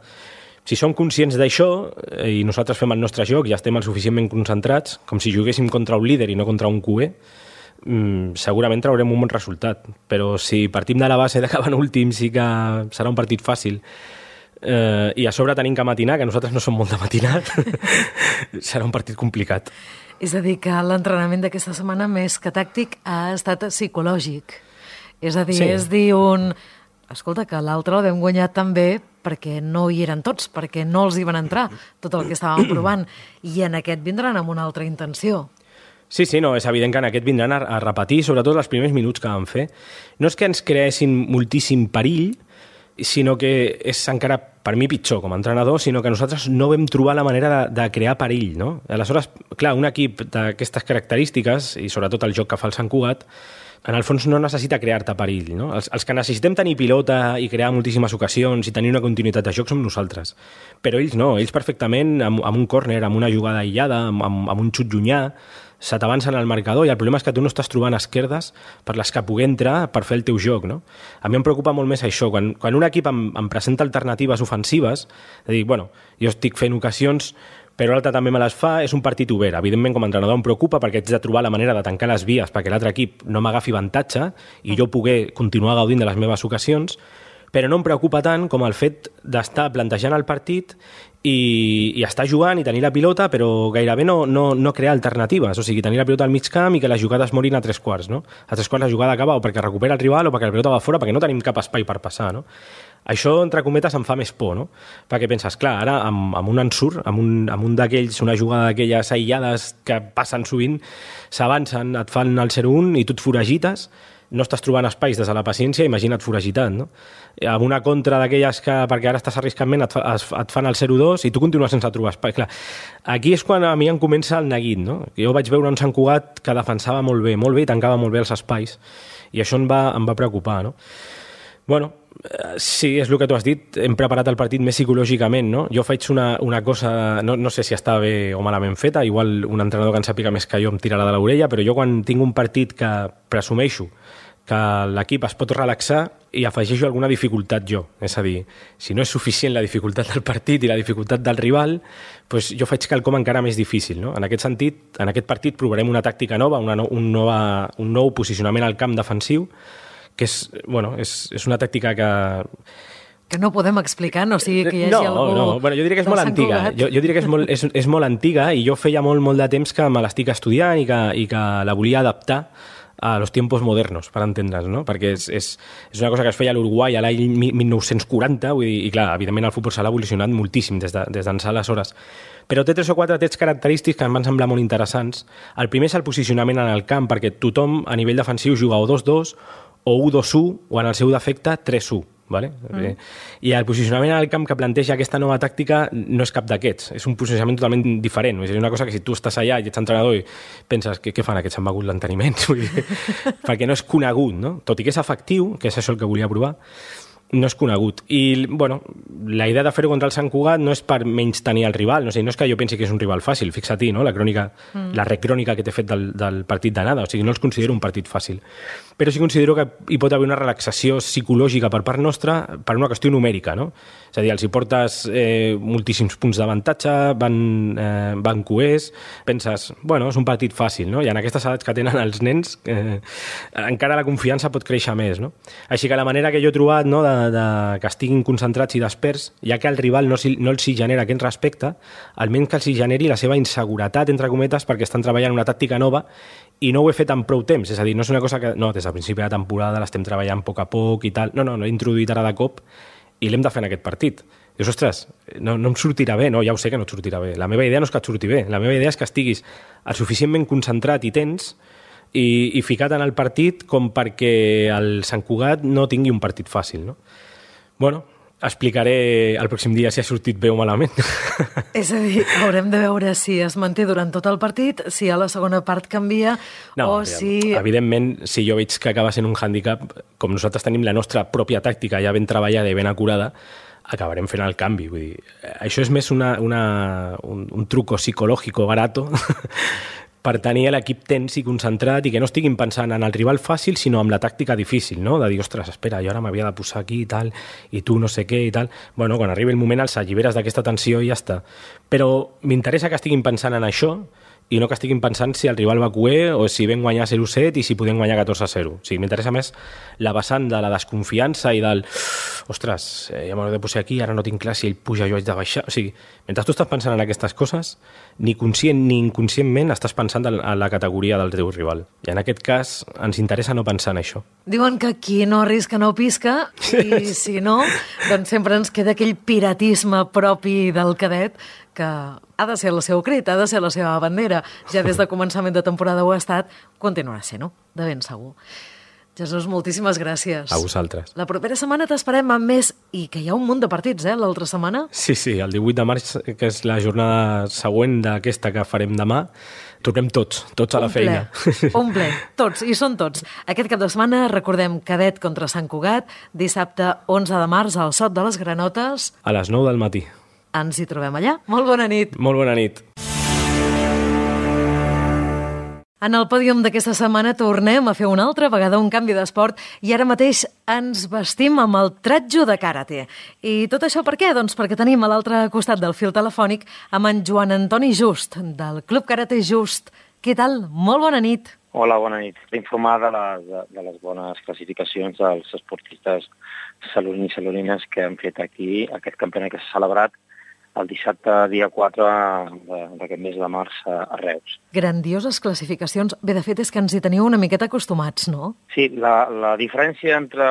Si som conscients d'això i nosaltres fem el nostre joc i estem el suficientment concentrats, com si juguéssim contra un líder i no contra un QE, segurament traurem un bon resultat. Però si partim de la base d'acabar en últim, sí que serà un partit fàcil. I a sobre tenim que matinar, que nosaltres no som molt de matinar, serà un partit complicat. És a dir, que l'entrenament d'aquesta setmana, més que tàctic, ha estat psicològic. És a dir, sí. És dir escolta, que l'altre el vam guanyar també perquè no hi eren tots, perquè no els hi van entrar tot el que estàvem provant, i en aquest vindran amb una altra intenció. Sí, no, és evident que en aquest vindran a repetir, sobretot els primers minuts que vam fer. No és que ens creessin moltíssim perill, sinó que és encara, per mi, pitjor com a entrenador, sinó que nosaltres no vam trobar la manera de crear perill, no? Aleshores, clar, un equip d'aquestes característiques, i sobretot el joc que fa el Sant Cugat, en el fons no necessita crear-te perill, no? Els que necessitem tenir pilota i crear moltíssimes ocasions i tenir una continuïtat de joc som nosaltres. Però ells no, ells perfectament, amb un córner, amb una jugada aïllada, amb un xut llunyà, se t'avancen al marcador, i el problema és que tu no estàs trobant esquerdes per les que pugui entrar per fer el teu joc, no? A mi em preocupa molt més això. Quan un equip em presenta alternatives ofensives, de dir, bueno, jo estic fent ocasions, però l'altre també me les fa, és un partit obert. Evidentment, com a entrenador em preocupa perquè haig de trobar la manera de tancar les vies perquè l'altre equip no m'agafi avantatge i jo poder continuar gaudint de les meves ocasions, però no em preocupa tant com el fet d'estar plantejant el partit i estar jugant i tenir la pilota, però gairebé no crear alternatives, o sigui, tenir la pilota al mig camp i que les jugades morin a 3/4, no? A 3/4 la jugada acaba o perquè recupera el rival o perquè la pilota va fora, perquè no tenim cap espai per passar, no? Això, entre cometes, em fa més por, no? Perquè penses, clar, ara amb un ensurt, amb un d'aquells, una jugada d'aquelles aïllades que passen sovint, s'avancen, et fan el 0-1 i tu et foragites, no estàs trobant espais des de la paciència, imagina't foragitat, no? Amb una contra d'aquelles que, perquè ara estàs arriscant ment, et fan el 0-2 i tu continues sense trobar espai. Clar, aquí és quan a mi em comença el neguit, no? Jo vaig veure un Sant Cugat que defensava molt bé i tancava molt bé els espais, i això em va preocupar, no? Bueno, sí, és el que tu has dit, hem preparat el partit més psicològicament, no? Jo faig una cosa, no sé si està bé o malament feta, igual un entrenador que en sàpiga més que jo em tirarà de l'orella, però jo quan tinc un partit que presumeixo que l'equip es pot relaxar i afegeixo alguna dificultat jo. És a dir, si no és suficient la dificultat del partit i la dificultat del rival, doncs jo faig quelcom encara més difícil, no? En aquest sentit, en aquest partit provarem una tàctica nova, un nou posicionament al camp defensiu, que és una tàctica que no podem explicar, no sigui que hi hagi algú... No, bueno, jo diria que és molt antiga. Jo diria que és molt antiga i jo feia molt de temps que me l'estic estudiant i que la volia adaptar a los tiempos modernos, per entendre's, no? Perquè és una cosa que es feia a l'Uruguai a l'any 1940, vull dir, i clar, evidentment el futbol s'ha evolucionat moltíssim des d'ençà aleshores. Però té 3 o 4 trets característics que em van semblar molt interessants. El primer és el posicionament en el camp, perquè tothom a nivell defensiu juga o 2-2, o 1-2-1, o en el seu defecte 3-1. Vale? I el posicionament al camp que planteja aquesta nova tàctica no és cap d'aquests, és un posicionament totalment diferent. És una cosa que si tu estàs allà i ets entrenador i penses, què fan aquests, s'han begut l'enteniment? Perquè no és conegut, no? Tot i que és efectiu, que és això el que volia provar. no és conegut. I, bueno, la idea de fer-ho contra el Sant Cugat no és per menys tenir el rival, no és que jo pensi que és un rival fàcil, fixa-t'hi, no? La recrònica que t'he fet del partit d'anada, o sigui, no els considero un partit fàcil. Però sí considero que hi pot haver una relaxació psicològica per part nostra per una qüestió numèrica, no? És a dir, els hi portes moltíssims punts d'avantatge, van coers, penses, bueno, és un partit fàcil, no? I en aquestes edats que tenen els nens encara la confiança pot créixer més, no? Així que la manera que jo he trobat, no, que estiguin concentrats i desperts, ja que el rival no els hi genera aquest respecte, almenys que els hi generi la seva inseguretat, entre cometes, perquè estan treballant una tàctica nova i no ho he fet en prou temps, és a dir, no és una cosa que no, des del principi de la temporada l'estem treballant a poc a poc i tal, no, l'he introduït ara de cop i l'hem de fer en aquest partit. Dius, ostres, no em sortirà bé, no, ja ho sé que no et sortirà bé, la meva idea no és que et surti bé, la meva idea és que estiguis el suficientment concentrat i tens i ficat en el partit com perquè el Sant Cugat no tingui un partit fàcil, no? Bueno, explicaré el pròxim dia si ha sortit bé o malament. És a dir, haurem de veure si es manté durant tot el partit, si a la segona part canvia, si... Evidentment, si jo veig que acaba sent un hàndicap, com nosaltres tenim la nostra pròpia tàctica ja ben treballada i ben acurada, acabarem fent el canvi. Vull dir, això és més un truco psicològic barato per tenir l'equip tens i concentrat i que no estiguin pensant en el rival fàcil, sinó en la tàctica difícil, no? De dir, ostres, espera, jo ara m'havia de posar aquí i tal, i tu no sé què i tal. Bueno, quan arribi el moment els alliberes d'aquesta tensió i ja està. Però m'interessa que estiguin pensant en això i no que estiguin pensant si el rival va cuer o si vam guanyar 0-7 i si podem guanyar 14-0. O sigui, m'interessa més la vessant de la desconfiança i del ostres, ja m'ho he de posar aquí, ara no tinc clar si ell puja, jo haig de baixar. O sigui, mentre tu estàs pensant en aquestes coses, ni conscient ni inconscientment estàs pensant en la categoria del teu rival. I en aquest cas ens interessa no pensar en això. Diuen que qui no arrisca no pisca i si no, doncs sempre ens queda aquell piratisme propi del cadet que ha de ser el seu crit, ha de ser la seva bandera. Ja des de començament de temporada ho ha estat, continuarà sent, no? De ben segur. Jesús, moltíssimes gràcies. A vosaltres. La propera setmana t'esperem amb més, i que hi ha un munt de partits, l'altra setmana. Sí, el 18 de març, que és la jornada següent d'aquesta que farem demà, tornem tots a la feina. Un ple, tots, i són tots. Aquest cap de setmana recordem Cadet contra Sant Cugat, dissabte 11 de març al Sot de les Granotes. A les 9 del matí. Ens hi trobem allà. Molt bona nit. Molt bona nit. En el pòdium d'aquesta setmana tornem a fer una altra vegada un canvi d'esport i ara mateix ens vestim amb el tratjo de karate. I tot això per què? Doncs perquè tenim a l'altre costat del fil telefònic amb en Joan Antoni Just, del Club Karate Just. Què tal? Molt bona nit. Hola, bona nit. D'informar de les bones classificacions dels esportistes salonins i salonines que han fet aquí aquest campionat que s'ha celebrat el dissabte, dia 4 d'aquest mes de març a Reus. Grandioses classificacions. Bé, de fet, és que ens hi teniu una miqueta acostumats, no? Sí, la diferència entre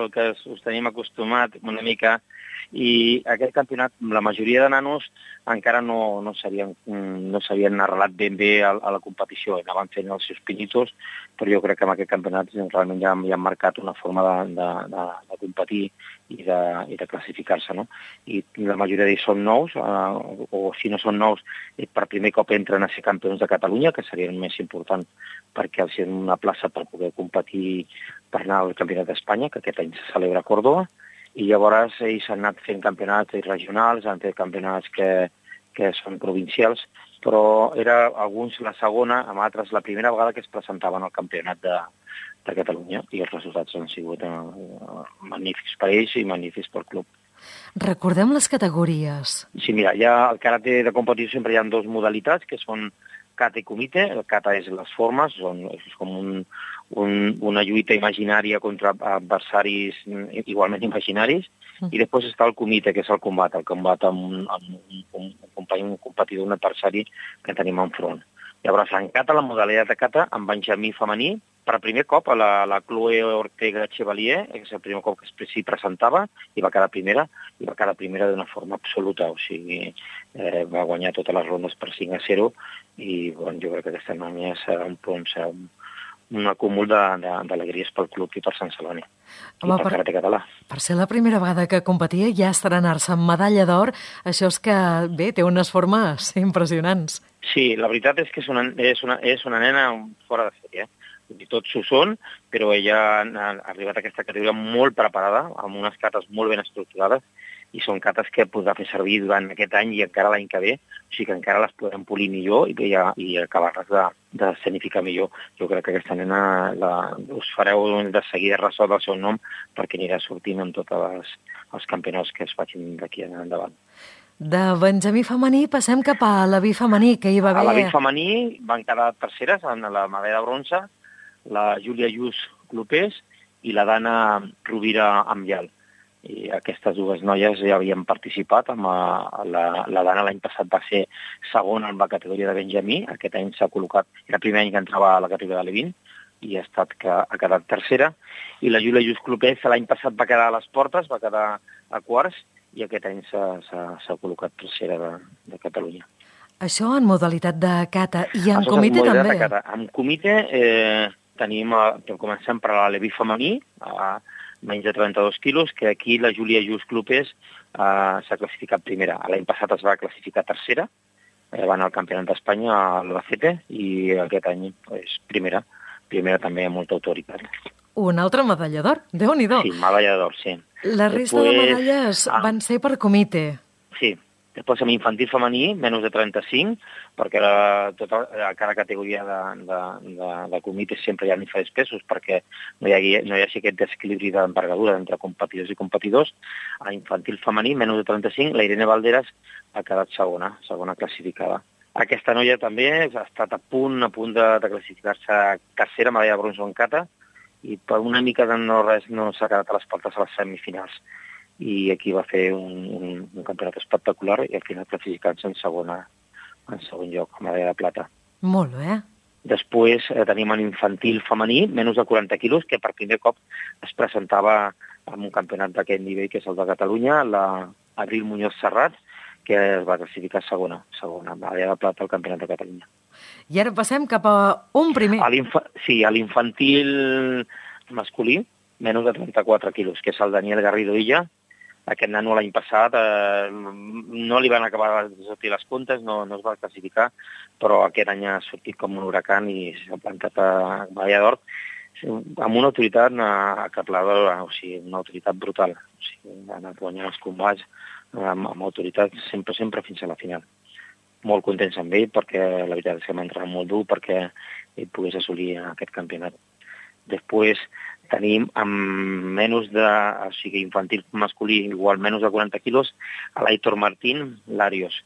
el que us tenim acostumat una mica i aquest campionat, la majoria de nanos encara no s'havien arrelat ben bé a la competició, anaven fent els seus pinitos, però jo crec que en aquest campionat realment ja han marcat una forma de competir i de classificar-se, no? I la majoria d'ells són nous, o si no són nous, per primer cop entren a ser campions de Catalunya, que seria el més important perquè els donen una plaça per poder competir per anar al Campionat d'Espanya, que aquest any se celebra a Córdoba, i llavors ells han anat fent campionats regionals, han fet campionats que són provincials, però era alguns la segona, amb altres la primera vegada que es presentaven al campionat de Catalunya, i els resultats han sigut magnífics per ells i magnífics pel club. Recordem les categories. Sí, mira, al karate de competició sempre hi ha dues modalitats, que són kata i kumite. El kata és les formes, és com una lluita imaginària contra adversaris igualment imaginaris, i després està el kumite, que és el combat amb un company, un competidor, un adversari que tenim enfront. Llavors, en kata, la modalitat de kata, amb benjamí femení, per primer cop a la Chloe Ortega Chevalier, que és el primer cop que s'hi presentava, i va quedar primera d'una forma absoluta, o sigui, va guanyar totes les rondes per 5-0, i jo crec que aquesta noia serà un acúmul d'alegries pel club i per Sant Celoni, i pel karate català. Per ser la primera vegada que competia ja estrenar-se amb medalla d'or, això és que, bé, té unes formes impressionants. Sí, la veritat és que és una nena fora de sèrie. i tot s'ho són, però ella ha arribat a aquesta categoria molt preparada, amb unes cates molt ben estructurades, i són cates que podrà fer servir durant aquest any i encara l'any que ve, o sigui que encara les podem polir millor i acabar-les de escenificar millor. Jo crec que aquesta nena us fareu de seguida ressò del seu nom perquè anirà sortint en tots els campionats que es facin d'aquí endavant. De Benjamí femení passem cap a l'Avi femení, que hi va haver... A l'Avi femení van quedar terceres en la medalla de bronze, la Júlia Lluís Clopés i la Dana Rovira Ambial. I aquestes dues noies ja havien participat. La Dana l'any passat va ser segona en la categoria de Benjamí, aquest any s'ha col·locat, era el primer any que entrava a la categoria de l'E20 i ha quedat tercera. I la Júlia Lluís Clopés l'any passat va quedar a les portes, va quedar a quarts, i aquest any s'ha col·locat tercera de Catalunya. Això en modalitat de cata i en comitè també? En comitè comencem per l'Aleví femení, menys de 32 quilos, que aquí la Júlia Lluís Clopés s'ha classificat primera. L'any passat es va classificar tercera, va anar al Campionat d'Espanya a l'Albacete, i aquest any és primera també amb molta autoritat. Una altra medalla d'or, Déu-n'hi-do. Sí, medalla d'or, sí. La resta de medalles van ser per comitè. Sí. Després amb infantil femení, menys de 35, perquè a cada categoria de comitè sempre hi ha diferents pesos, perquè no hi hagi aquest desequilibri d'envergadura entre competidors i competidors. A infantil femení, menys de 35, la Irene Valderas ha quedat segona classificada. Aquesta noia també ha estat a punt de classificar-se tercera, medalla de bronze en cata, i per una mica de no res no s'ha quedat a les portes a les semifinals. I aquí va fer un campionat espectacular i al final classificant-se en segon lloc, medalla de plata. Molt bé. Després tenim en infantil femení, menys de 40 quilos, que per primer cop es presentava en un campionat d'aquest nivell, que és el de Catalunya, l'Abril Muñoz Serrat, que es va classificar segona medalla de plata al Campionat de Catalunya. I ara passem cap a un primer. Sí, a l'infantil masculí, menys de 34 quilos, que és el Daniel Garrido Illa. Aquest nano l'any passat no li van acabar de sortir les comptes, no es va classificar, però aquest any ha sortit com un huracan i s'ha plantat a medalla d'or amb una autoritat acapladora, o sigui, una autoritat brutal. O sigui, ha anat guanyant els combats amb autoritat sempre fins a la final. Molt contents amb ell, perquè la veritat és que m'ha entrenat molt dur perquè ell pogués assolir aquest campionat. Després tenim amb infantil masculí, igual menys de 40 quilos, a l'Aitor Martín Larios.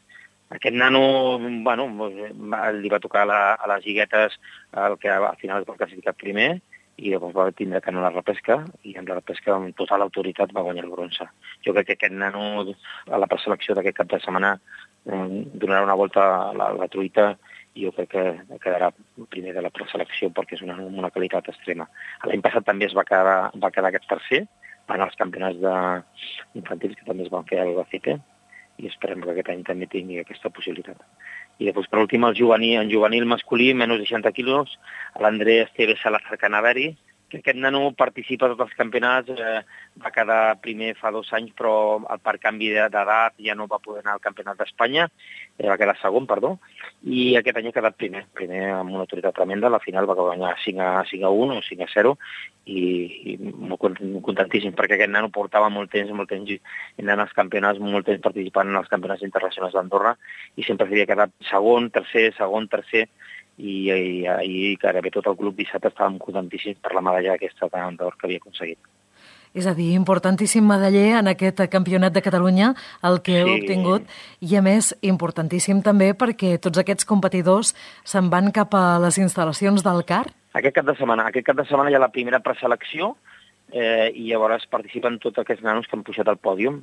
Aquest nano, li va tocar a les lliguetes el que al final es va classificar primer, i llavors va tindre que anar a la repesca, i en la repesca amb total autoritat va guanyar el bronze. Jo crec que aquest nano a la preselecció d'aquest cap de setmana donarà una volta a la truita i jo crec que quedarà primer de la preselecció perquè és una qualitat extrema. L'any passat també es va quedar aquest tercer en els campionats infantils que també es van fer a l'Albacete i esperem que aquest any també tingui aquesta possibilitat. I després, per últim, en juvenil masculí, menys de 60 quilos, l'André Esteve Salazar Canaveri, que aquest nano participa a tots els campionats, va quedar primer fa 2 anys, però per canvi d'edat ja no va poder anar al Campionat d'Espanya, va quedar segon, i aquest any ha quedat primer amb una autoritat tremenda, a la final va guanyar 5-1 o 5-0, i molt contentíssim, perquè aquest nano portava molt temps anant als campionats, molt temps participant en els campionats internacionals d'Andorra, i sempre havia quedat segon, tercer, i gairebé tot el club dissabte estàvem contentíssims per la medalla aquesta d'or que havia aconseguit. És a dir, importantíssim medaller en aquest campionat de Catalunya, el que heu obtingut, i a més, importantíssim també perquè tots aquests competidors se'n van cap a les instal·lacions del CAR? Aquest cap de setmana hi ha la primera preselecció i llavors participen tots aquests nanos que han pujat al pòdium,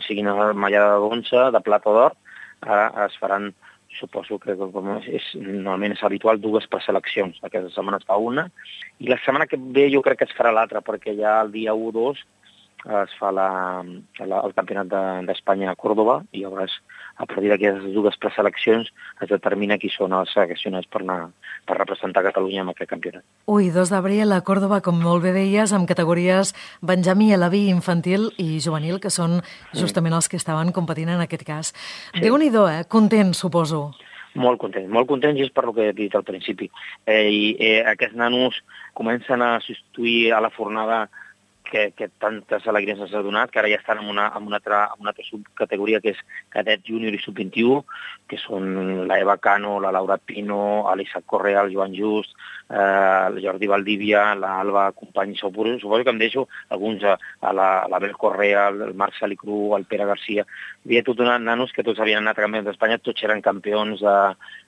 siguin medalla de bronze, de plata o d'or, ara es faran, suposo que normalment és habitual, 2 preseleccions. Aquesta setmana es fa una, i la setmana que ve jo crec que es farà l'altra, perquè ja el dia 1-2 es fa el Campionat d'Espanya a Còrdova, i llavors a partir d'aquestes 2 preseleccions es determina qui són els seleccionats per representar Catalunya en aquest campionat. 2 d'abril a Còrdova, com molt bé deies, amb categories Benjamí, Elaví, infantil i juvenil, que són justament els que estaven competint en aquest cas. Déu-n'hi-do, content, suposo. Molt contents i és per lo que he dit al principi. Aquests nanos comencen a substituir a la fornada que tantes alegries ens ha donat, que ara ja estan en una altra subcategoria que és cadet júnior i sub-21, que són la Eva Cano, la Laura Pino, l'Isaac Correa, el Joan Just, el Jordi Valdivia, l'Alba Company. Suposo que em deixo alguns, a l'Abel Correa, el Marc Salicru, el Pere Garcia. Hi havia tot nanos que tots havien anat a campions d'Espanya, tots eren campions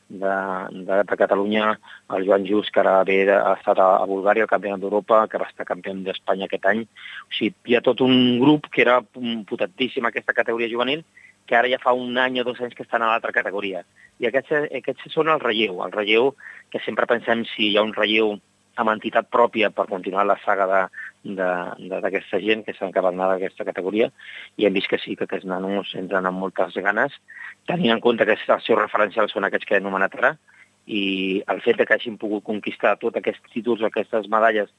de Catalunya, el Joan Just, que ara ha estat a Bulgària, el campionat d'Europa, que va estar campió d'Espanya aquest any. O sigui, hi ha tot un grup que era potentíssim aquesta categoria juvenil, que ara ja fa un any o 2 anys que estan a l'altra categoria. I aquests són el relleu que sempre pensem si hi ha un relleu amb entitat pròpia per continuar la saga d'aquesta gent que s'han acabat d'anar d'aquesta categoria, i hem vist que sí, que aquests nanos entren amb moltes ganes, tenint en compte que els seus referencials són aquests que he anomenat ara, i el fet que hagin pogut conquistar tots aquests títols, aquestes medalles,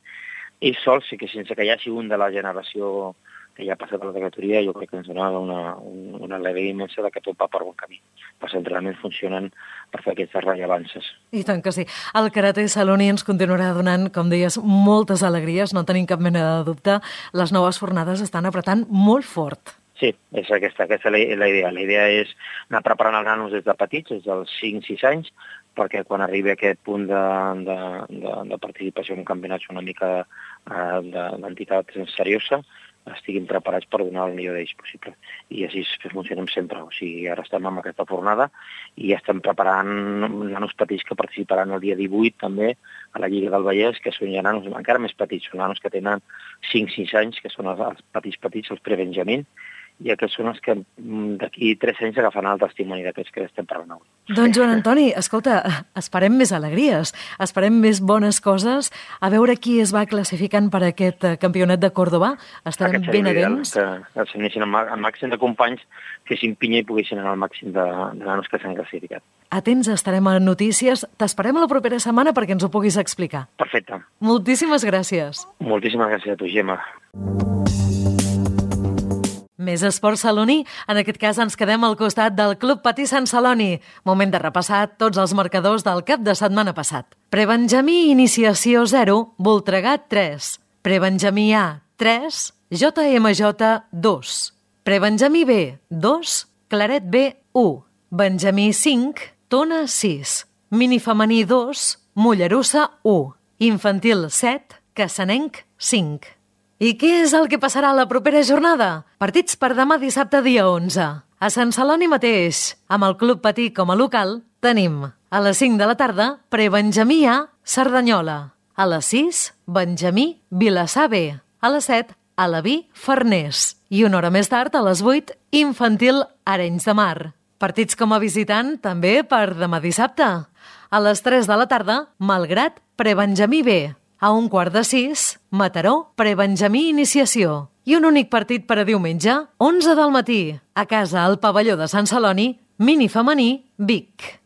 ells sols, i que sense que hi hagi un de la generació que ja ha passat a la categoria, jo crec que ens donava una alegria immensa que tot va per bon camí. Els entrenaments funcionen per fer aquestes rellevances. I tant que sí. El Karate Saloni ens continuarà donant, com deies, moltes alegries, no tenim cap mena de dubte. Les noves fornades estan apretant molt fort. Sí, és aquesta és la idea. La idea és anar preparant els nanos des de petits, des dels 5-6 anys, perquè quan arribi a aquest punt de participació en campionats una mica d'entitat seriosa, estiguin preparats per donar el millor d'ells possible. I així funcionem sempre. O sigui, ara estem amb aquesta fornada i estem preparant nanos petits que participaran el dia 18 també a la Lliga del Vallès, que són ja nanos encara més petits, són nanos que tenen 5-6 anys, que són els petits, els prebenjamins, i aquests són els que d'aquí 3 anys agafaran el testimoni d'aquests que estem parlant avui. Doncs Joan Antoni, escolta, esperem més alegries, esperem més bones coses, a veure qui es va classificant per aquest campionat de Còrdova. Estarem ben atents. Que s'anessin al màxim de companys, fessin pinya i poguessin anar al màxim de nanos que s'han classificat. Atents, estarem a notícies. T'esperem la propera setmana perquè ens ho puguis explicar. Perfecte. Moltíssimes gràcies. Moltíssimes gràcies a tu, Gemma. Més esport saloní, en aquest cas ens quedem al costat del Club Patí Sant Celoni. Moment de repassar tots els marcadors del cap de setmana passat. Prebenjamí Iniciació 0, Voltregat 3. Prebenjamí A 3, JMJ 2. Prebenjamí B 2, Claret B 1. Benjamí 5, Tona 6. Minifemení 2, Mollerussa 1. Infantil 7, Cassanenc 5. I què és el que passarà a la propera jornada? Partits per demà dissabte dia 11. A Sant Celoni mateix, amb el Club Patí com a local, tenim a les 5 de la tarda Prebenjamí A, Cerdanyola. A les 6, Benjamí Vilassar B. A les 7, Alaví Farners. I una hora més tard, a les 8, Infantil Arenys de Mar. Partits com a visitant també per demà dissabte. A les 3 de la tarda, Malgrat Prebenjamí B. A 5:15, Mataró, Prebenjamí Iniciació. I un únic partit per a diumenge, 11 del matí, a casa al pavelló de Sant Celoni, minifemení Vic.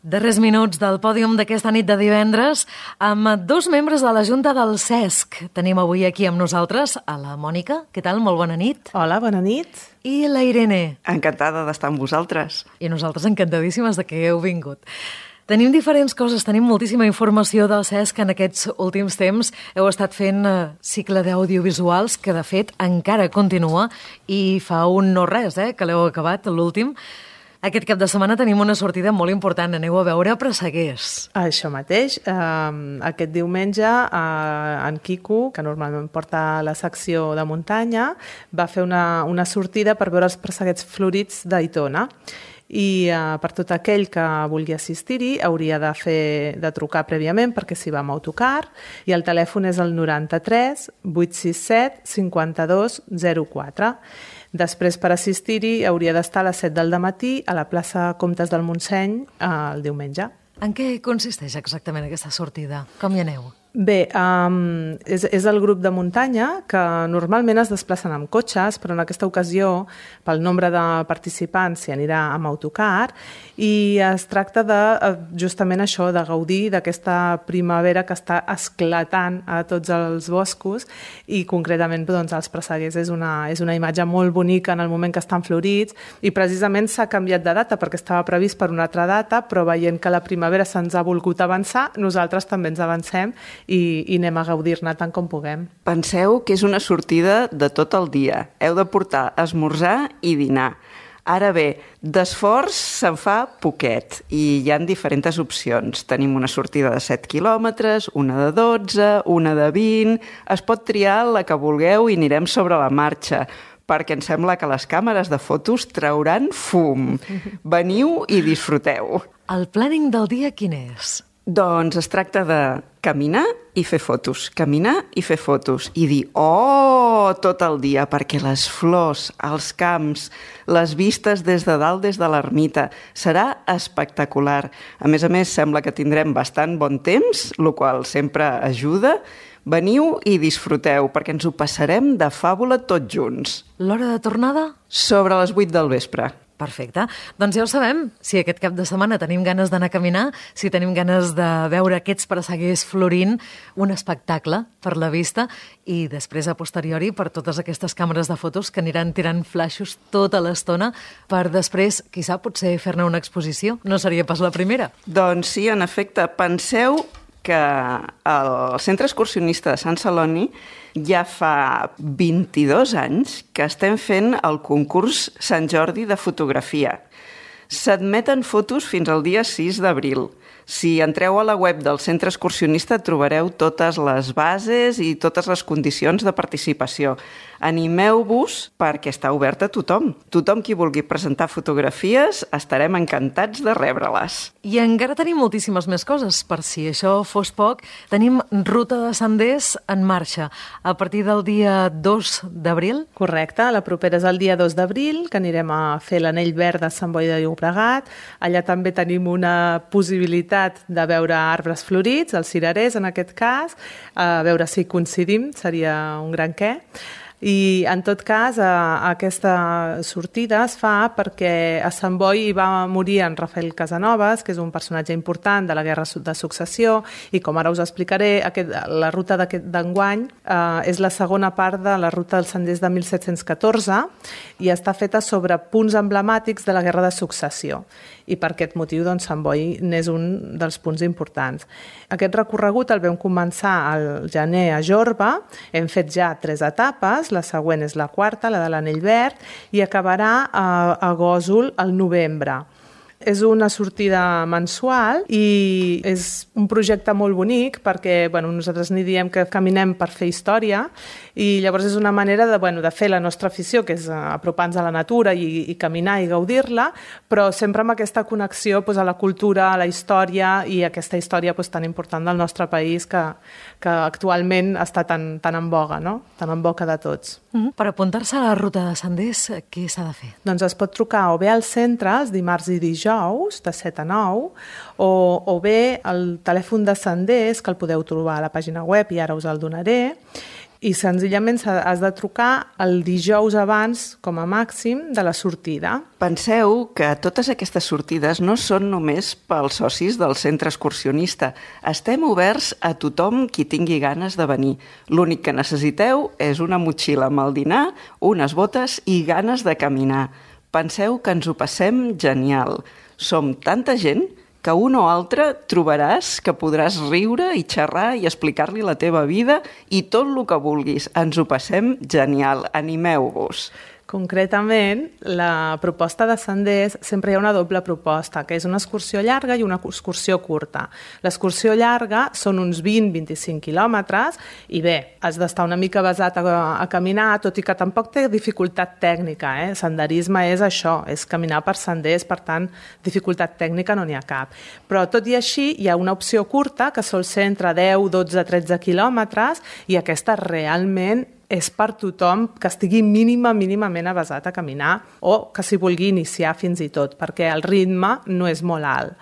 Darrers minuts del pòdium d'aquesta nit de divendres amb 2 membres de la Junta del CESC. Tenim avui aquí amb nosaltres a la Mònica. Què tal? Molt bona nit. Hola, bona nit. I la Irene. Encantada d'estar amb vosaltres. I nosaltres encantadíssimes de que heu vingut. Tenim diferents coses, tenim moltíssima informació del CESC en aquests últims temps. Heu estat fent cicle d'audiovisuals que, de fet, encara continua i fa un no res, que l'heu acabat, l'últim. Aquest cap de setmana tenim una sortida molt important. Aneu a veure Presseguers. Això mateix. Aquest diumenge, en Quico, que normalment porta la secció de muntanya, va fer una sortida per veure els presseguets florits d'Aitona. I per tot aquell que vulgui assistir-hi hauria de trucar prèviament perquè s'hi va amb autocar i el telèfon és el 93 867 52 04. Després, per assistir-hi, hauria d'estar a les 7 del matí a la plaça Comtes del Montseny el diumenge. En què consisteix exactament aquesta sortida? Com hi aneu? Bé, és el grup de muntanya que normalment es desplacen amb cotxes, però en aquesta ocasió, pel nombre de participants, s'hi anirà amb autocar, i es tracta de, justament això, de gaudir d'aquesta primavera que està esclatant a tots els boscos, i concretament doncs, als Presseguers és una imatge molt bonica en el moment que estan florits, i precisament s'ha canviat de data perquè estava previst per una altra data, però veient que la primavera se'ns ha volgut avançar, nosaltres també ens avancem i anem a gaudir-ne tant com puguem. Penseu que és una sortida de tot el dia. Heu de portar esmorzar i dinar. Ara bé, d'esforç se'n fa poquet i hi ha diferents opcions. Tenim una sortida de 7 quilòmetres, una de 12, una de 20... Es pot triar la que vulgueu i anirem sobre la marxa, perquè em sembla que les càmeres de fotos trauran fum. Veniu i disfruteu. El planning del dia quin és? Doncs es tracta de caminar i fer fotos, caminar i fer fotos i dir oh tot el dia, perquè les flors, els camps, les vistes des de dalt, des de l'ermita, serà espectacular. A més, sembla que tindrem bastant bon temps, el qual sempre ajuda. Veniu i disfruteu, perquè ens ho passarem de fàbula tots junts. L'hora de tornada? Sobre les 8 del vespre. Perfecte. Doncs ja ho sabem. Si aquest cap de setmana tenim ganes d'anar a caminar, si tenim ganes de veure aquests presseguers florint, un espectacle per la vista i després a posteriori per totes aquestes càmeres de fotos que aniran tirant flaixos tota l'estona per després, qui sap, potser fer-ne una exposició. No seria pas la primera. Doncs sí, en efecte. Penseu que el Centre Excursionista de Sant Celoni ja fa 22 anys que estem fent el concurs Sant Jordi de fotografia. S'admeten fotos fins al dia 6 d'abril. Si entreu a la web del Centre Excursionista trobareu totes les bases i totes les condicions de participació. Animeu-vos perquè està obert a tothom. Tothom qui vulgui presentar fotografies estarem encantats de rebre-les. I encara tenim moltíssimes més coses. Per si això fos poc, tenim ruta de senders en marxa a partir del dia 2 d'abril. Correcte, la propera és el dia 2 d'abril, que anirem a fer l'anell verd de Sant Boi de Llobregat. Allà també tenim una possibilitat de veure arbres florits, els cirerers en aquest cas, a veure si coincidim, seria un gran què. I, en tot cas, aquesta sortida es fa perquè a Sant Boi hi va morir en Rafael Casanovas, que és un personatge important de la Guerra de Successió, i com ara us explicaré, la ruta d'enguany és la segona part de la ruta dels senders de 1714 i està feta sobre punts emblemàtics de la Guerra de Successió. I per aquest motiu, doncs, Sant Boi n'és un dels punts importants. Aquest recorregut el vam començar al gener a Jorba, hem fet ja 3 etapes, la següent és la quarta, la de l'Anell Verd, i acabarà a Gósol al novembre. És una sortida mensual i és un projecte molt bonic perquè nosaltres n'hi diem que caminem per fer història i llavors és una manera de fer la nostra afició, que és apropar-nos a la natura i caminar i gaudir-la, però sempre amb aquesta connexió a la cultura, a la història i aquesta història tan important del nostre país que actualment està tan en boga, no? Tan en boca de tots. Per apuntar-se a la ruta de senders, què s'ha de fer? Doncs es pot trucar o bé al centre, els dimarts i dijous, de 7 a 9, o bé el telèfon de senders, que el podeu trobar a la pàgina web i ara us el donaré, i senzillament has de trucar el dijous abans, com a màxim, de la sortida. Penseu que totes aquestes sortides no són només pels socis del centre excursionista. Estem oberts a tothom qui tingui ganes de venir. L'únic que necessiteu és una motxilla amb el dinar, unes botes i ganes de caminar. Penseu que ens ho passem genial. Som tanta gent que un o altre trobaràs que podràs riure i xerrar i explicar-li la teva vida i tot el que vulguis. Ens ho passem genial. Animeu-vos. Concretament, la proposta de senders sempre hi ha una doble proposta, que és una excursió llarga i una excursió curta. L'excursió llarga són uns 20-25 quilòmetres i bé, has d'estar una mica basat a caminar, tot i que tampoc té dificultat tècnica. Senderisme és això, és caminar per senders, per tant, dificultat tècnica no n'hi ha cap. Però tot i així hi ha una opció curta que sol ser entre 10, 12, 13 quilòmetres i aquesta realment és per tothom que estigui mínimament avesat a caminar o que s'hi vulgui iniciar fins i tot, perquè el ritme no és molt alt.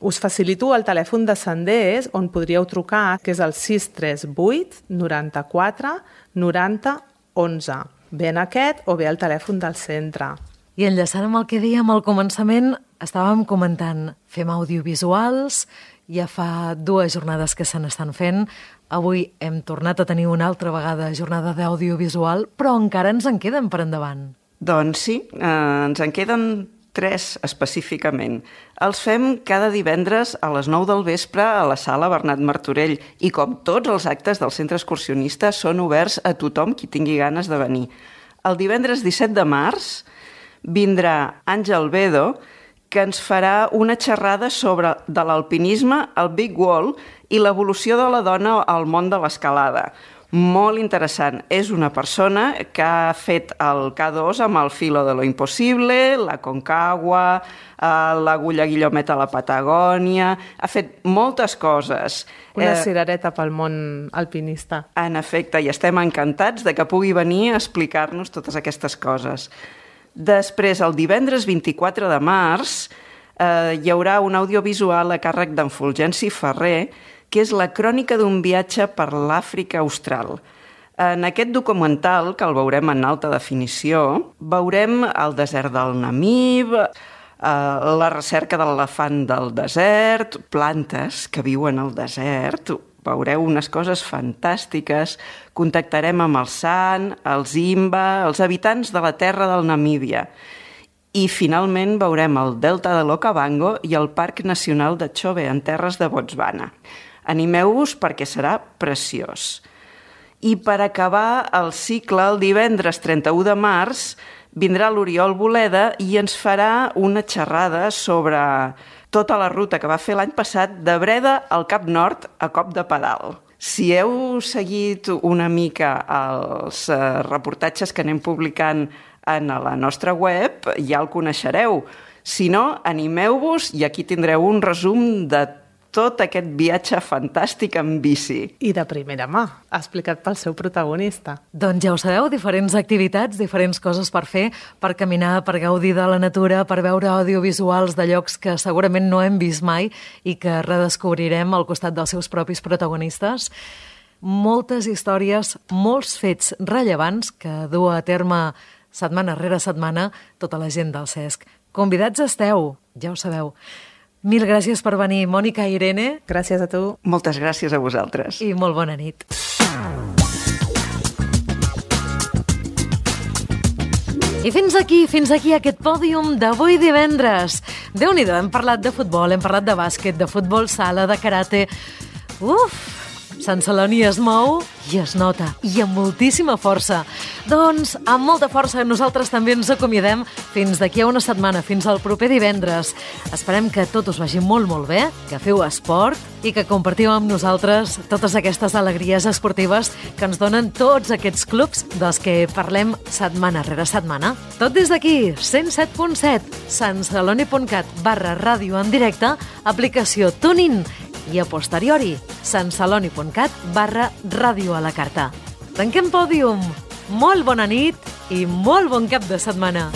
Us facilito el telèfon de Senders, on podríeu trucar, que és el 638 94 90 11. Bé en aquest o bé al telèfon del centre. I enllaçant amb el que dèiem al començament, estàvem comentant, fem audiovisuals, ja fa 2 jornades que se n'estan fent, avui hem tornat a tenir una altra vegada jornada d'audiovisual, però encara ens en queden per endavant. Doncs sí, ens en queden 3 específicament. Els fem cada divendres a les 9 del vespre a la sala Bernat Martorell i com tots els actes del centre excursionista són oberts a tothom qui tingui ganes de venir. El divendres 17 de març vindrà Àngel Bedo, que ens farà una xerrada sobre de l'alpinisme, el Big Wall i l'evolució de la dona al món de l'escalada. Molt interessant. És una persona que ha fet el K2 amb el Filo de lo Impossible, la Concagua, l'Agulla Guillomet a la Patagònia... Ha fet moltes coses. Una cirereta pel món alpinista. En efecte, i estem encantats de que pugui venir a explicar-nos totes aquestes coses. Després, el divendres 24 de març, hi haurà un audiovisual a càrrec d'en Fulgenci Ferrer, que és la crònica d'un viatge per l'Àfrica Austral. En aquest documental, que el veurem en alta definició, veurem el desert del Namib, la recerca de l'elefant del desert, plantes que viuen al desert, veureu unes coses fantàstiques, contactarem amb el Sant, els Imba, els habitants de la terra del Namíbia. I finalment veurem el delta de l'Okavango i el Parc Nacional de Chobe, en terres de Botswana. Animeu-vos perquè serà preciós. I per acabar el cicle, el divendres 31 de març, vindrà l'Oriol Boleda i ens farà una xerrada sobre tota la ruta que va fer l'any passat de Breda al Cap Nord a cop de pedal. Si heu seguit una mica els reportatges que anem publicant en la nostra web, ja el coneixereu. Si no, animeu-vos i aquí tindreu un resum de tot aquest viatge fantàstic en bici. I de primera mà, explicat pel seu protagonista. Doncs ja ho sabeu, diferents activitats, diferents coses per fer, per caminar, per gaudir de la natura, per veure audiovisuals de llocs que segurament no hem vist mai i que redescobrirem al costat dels seus propis protagonistes. Moltes històries, molts fets rellevants que du a terme setmana rere setmana tota la gent del CESC. Convidats esteu, ja ho sabeu. Mil gràcies per venir, Mònica i Irene. Gràcies a tu. Moltes gràcies a vosaltres. I molt bona nit. I fins aquí aquest pòdium d'avui divendres. Déu-n'hi-do, hem parlat de futbol, hem parlat de bàsquet, de futbol sala, de karate... Sant Celoni es mou i es nota, i amb moltíssima força. Doncs, amb molta força, nosaltres també ens acomiadem fins d'aquí a una setmana, fins al proper divendres. Esperem que tot us vagi molt, molt bé, que feu esport i que compartiu amb nosaltres totes aquestes alegries esportives que ens donen tots aquests clubs dels que parlem setmana rere setmana. Tot des d'aquí, 107.7, santceloni.cat/ràdio en directe, aplicació TuneIn, i a posteriori, santceloni.cat/ràdio a la carta. Tanquem pòdium. Molt bona nit i molt bon cap de setmana.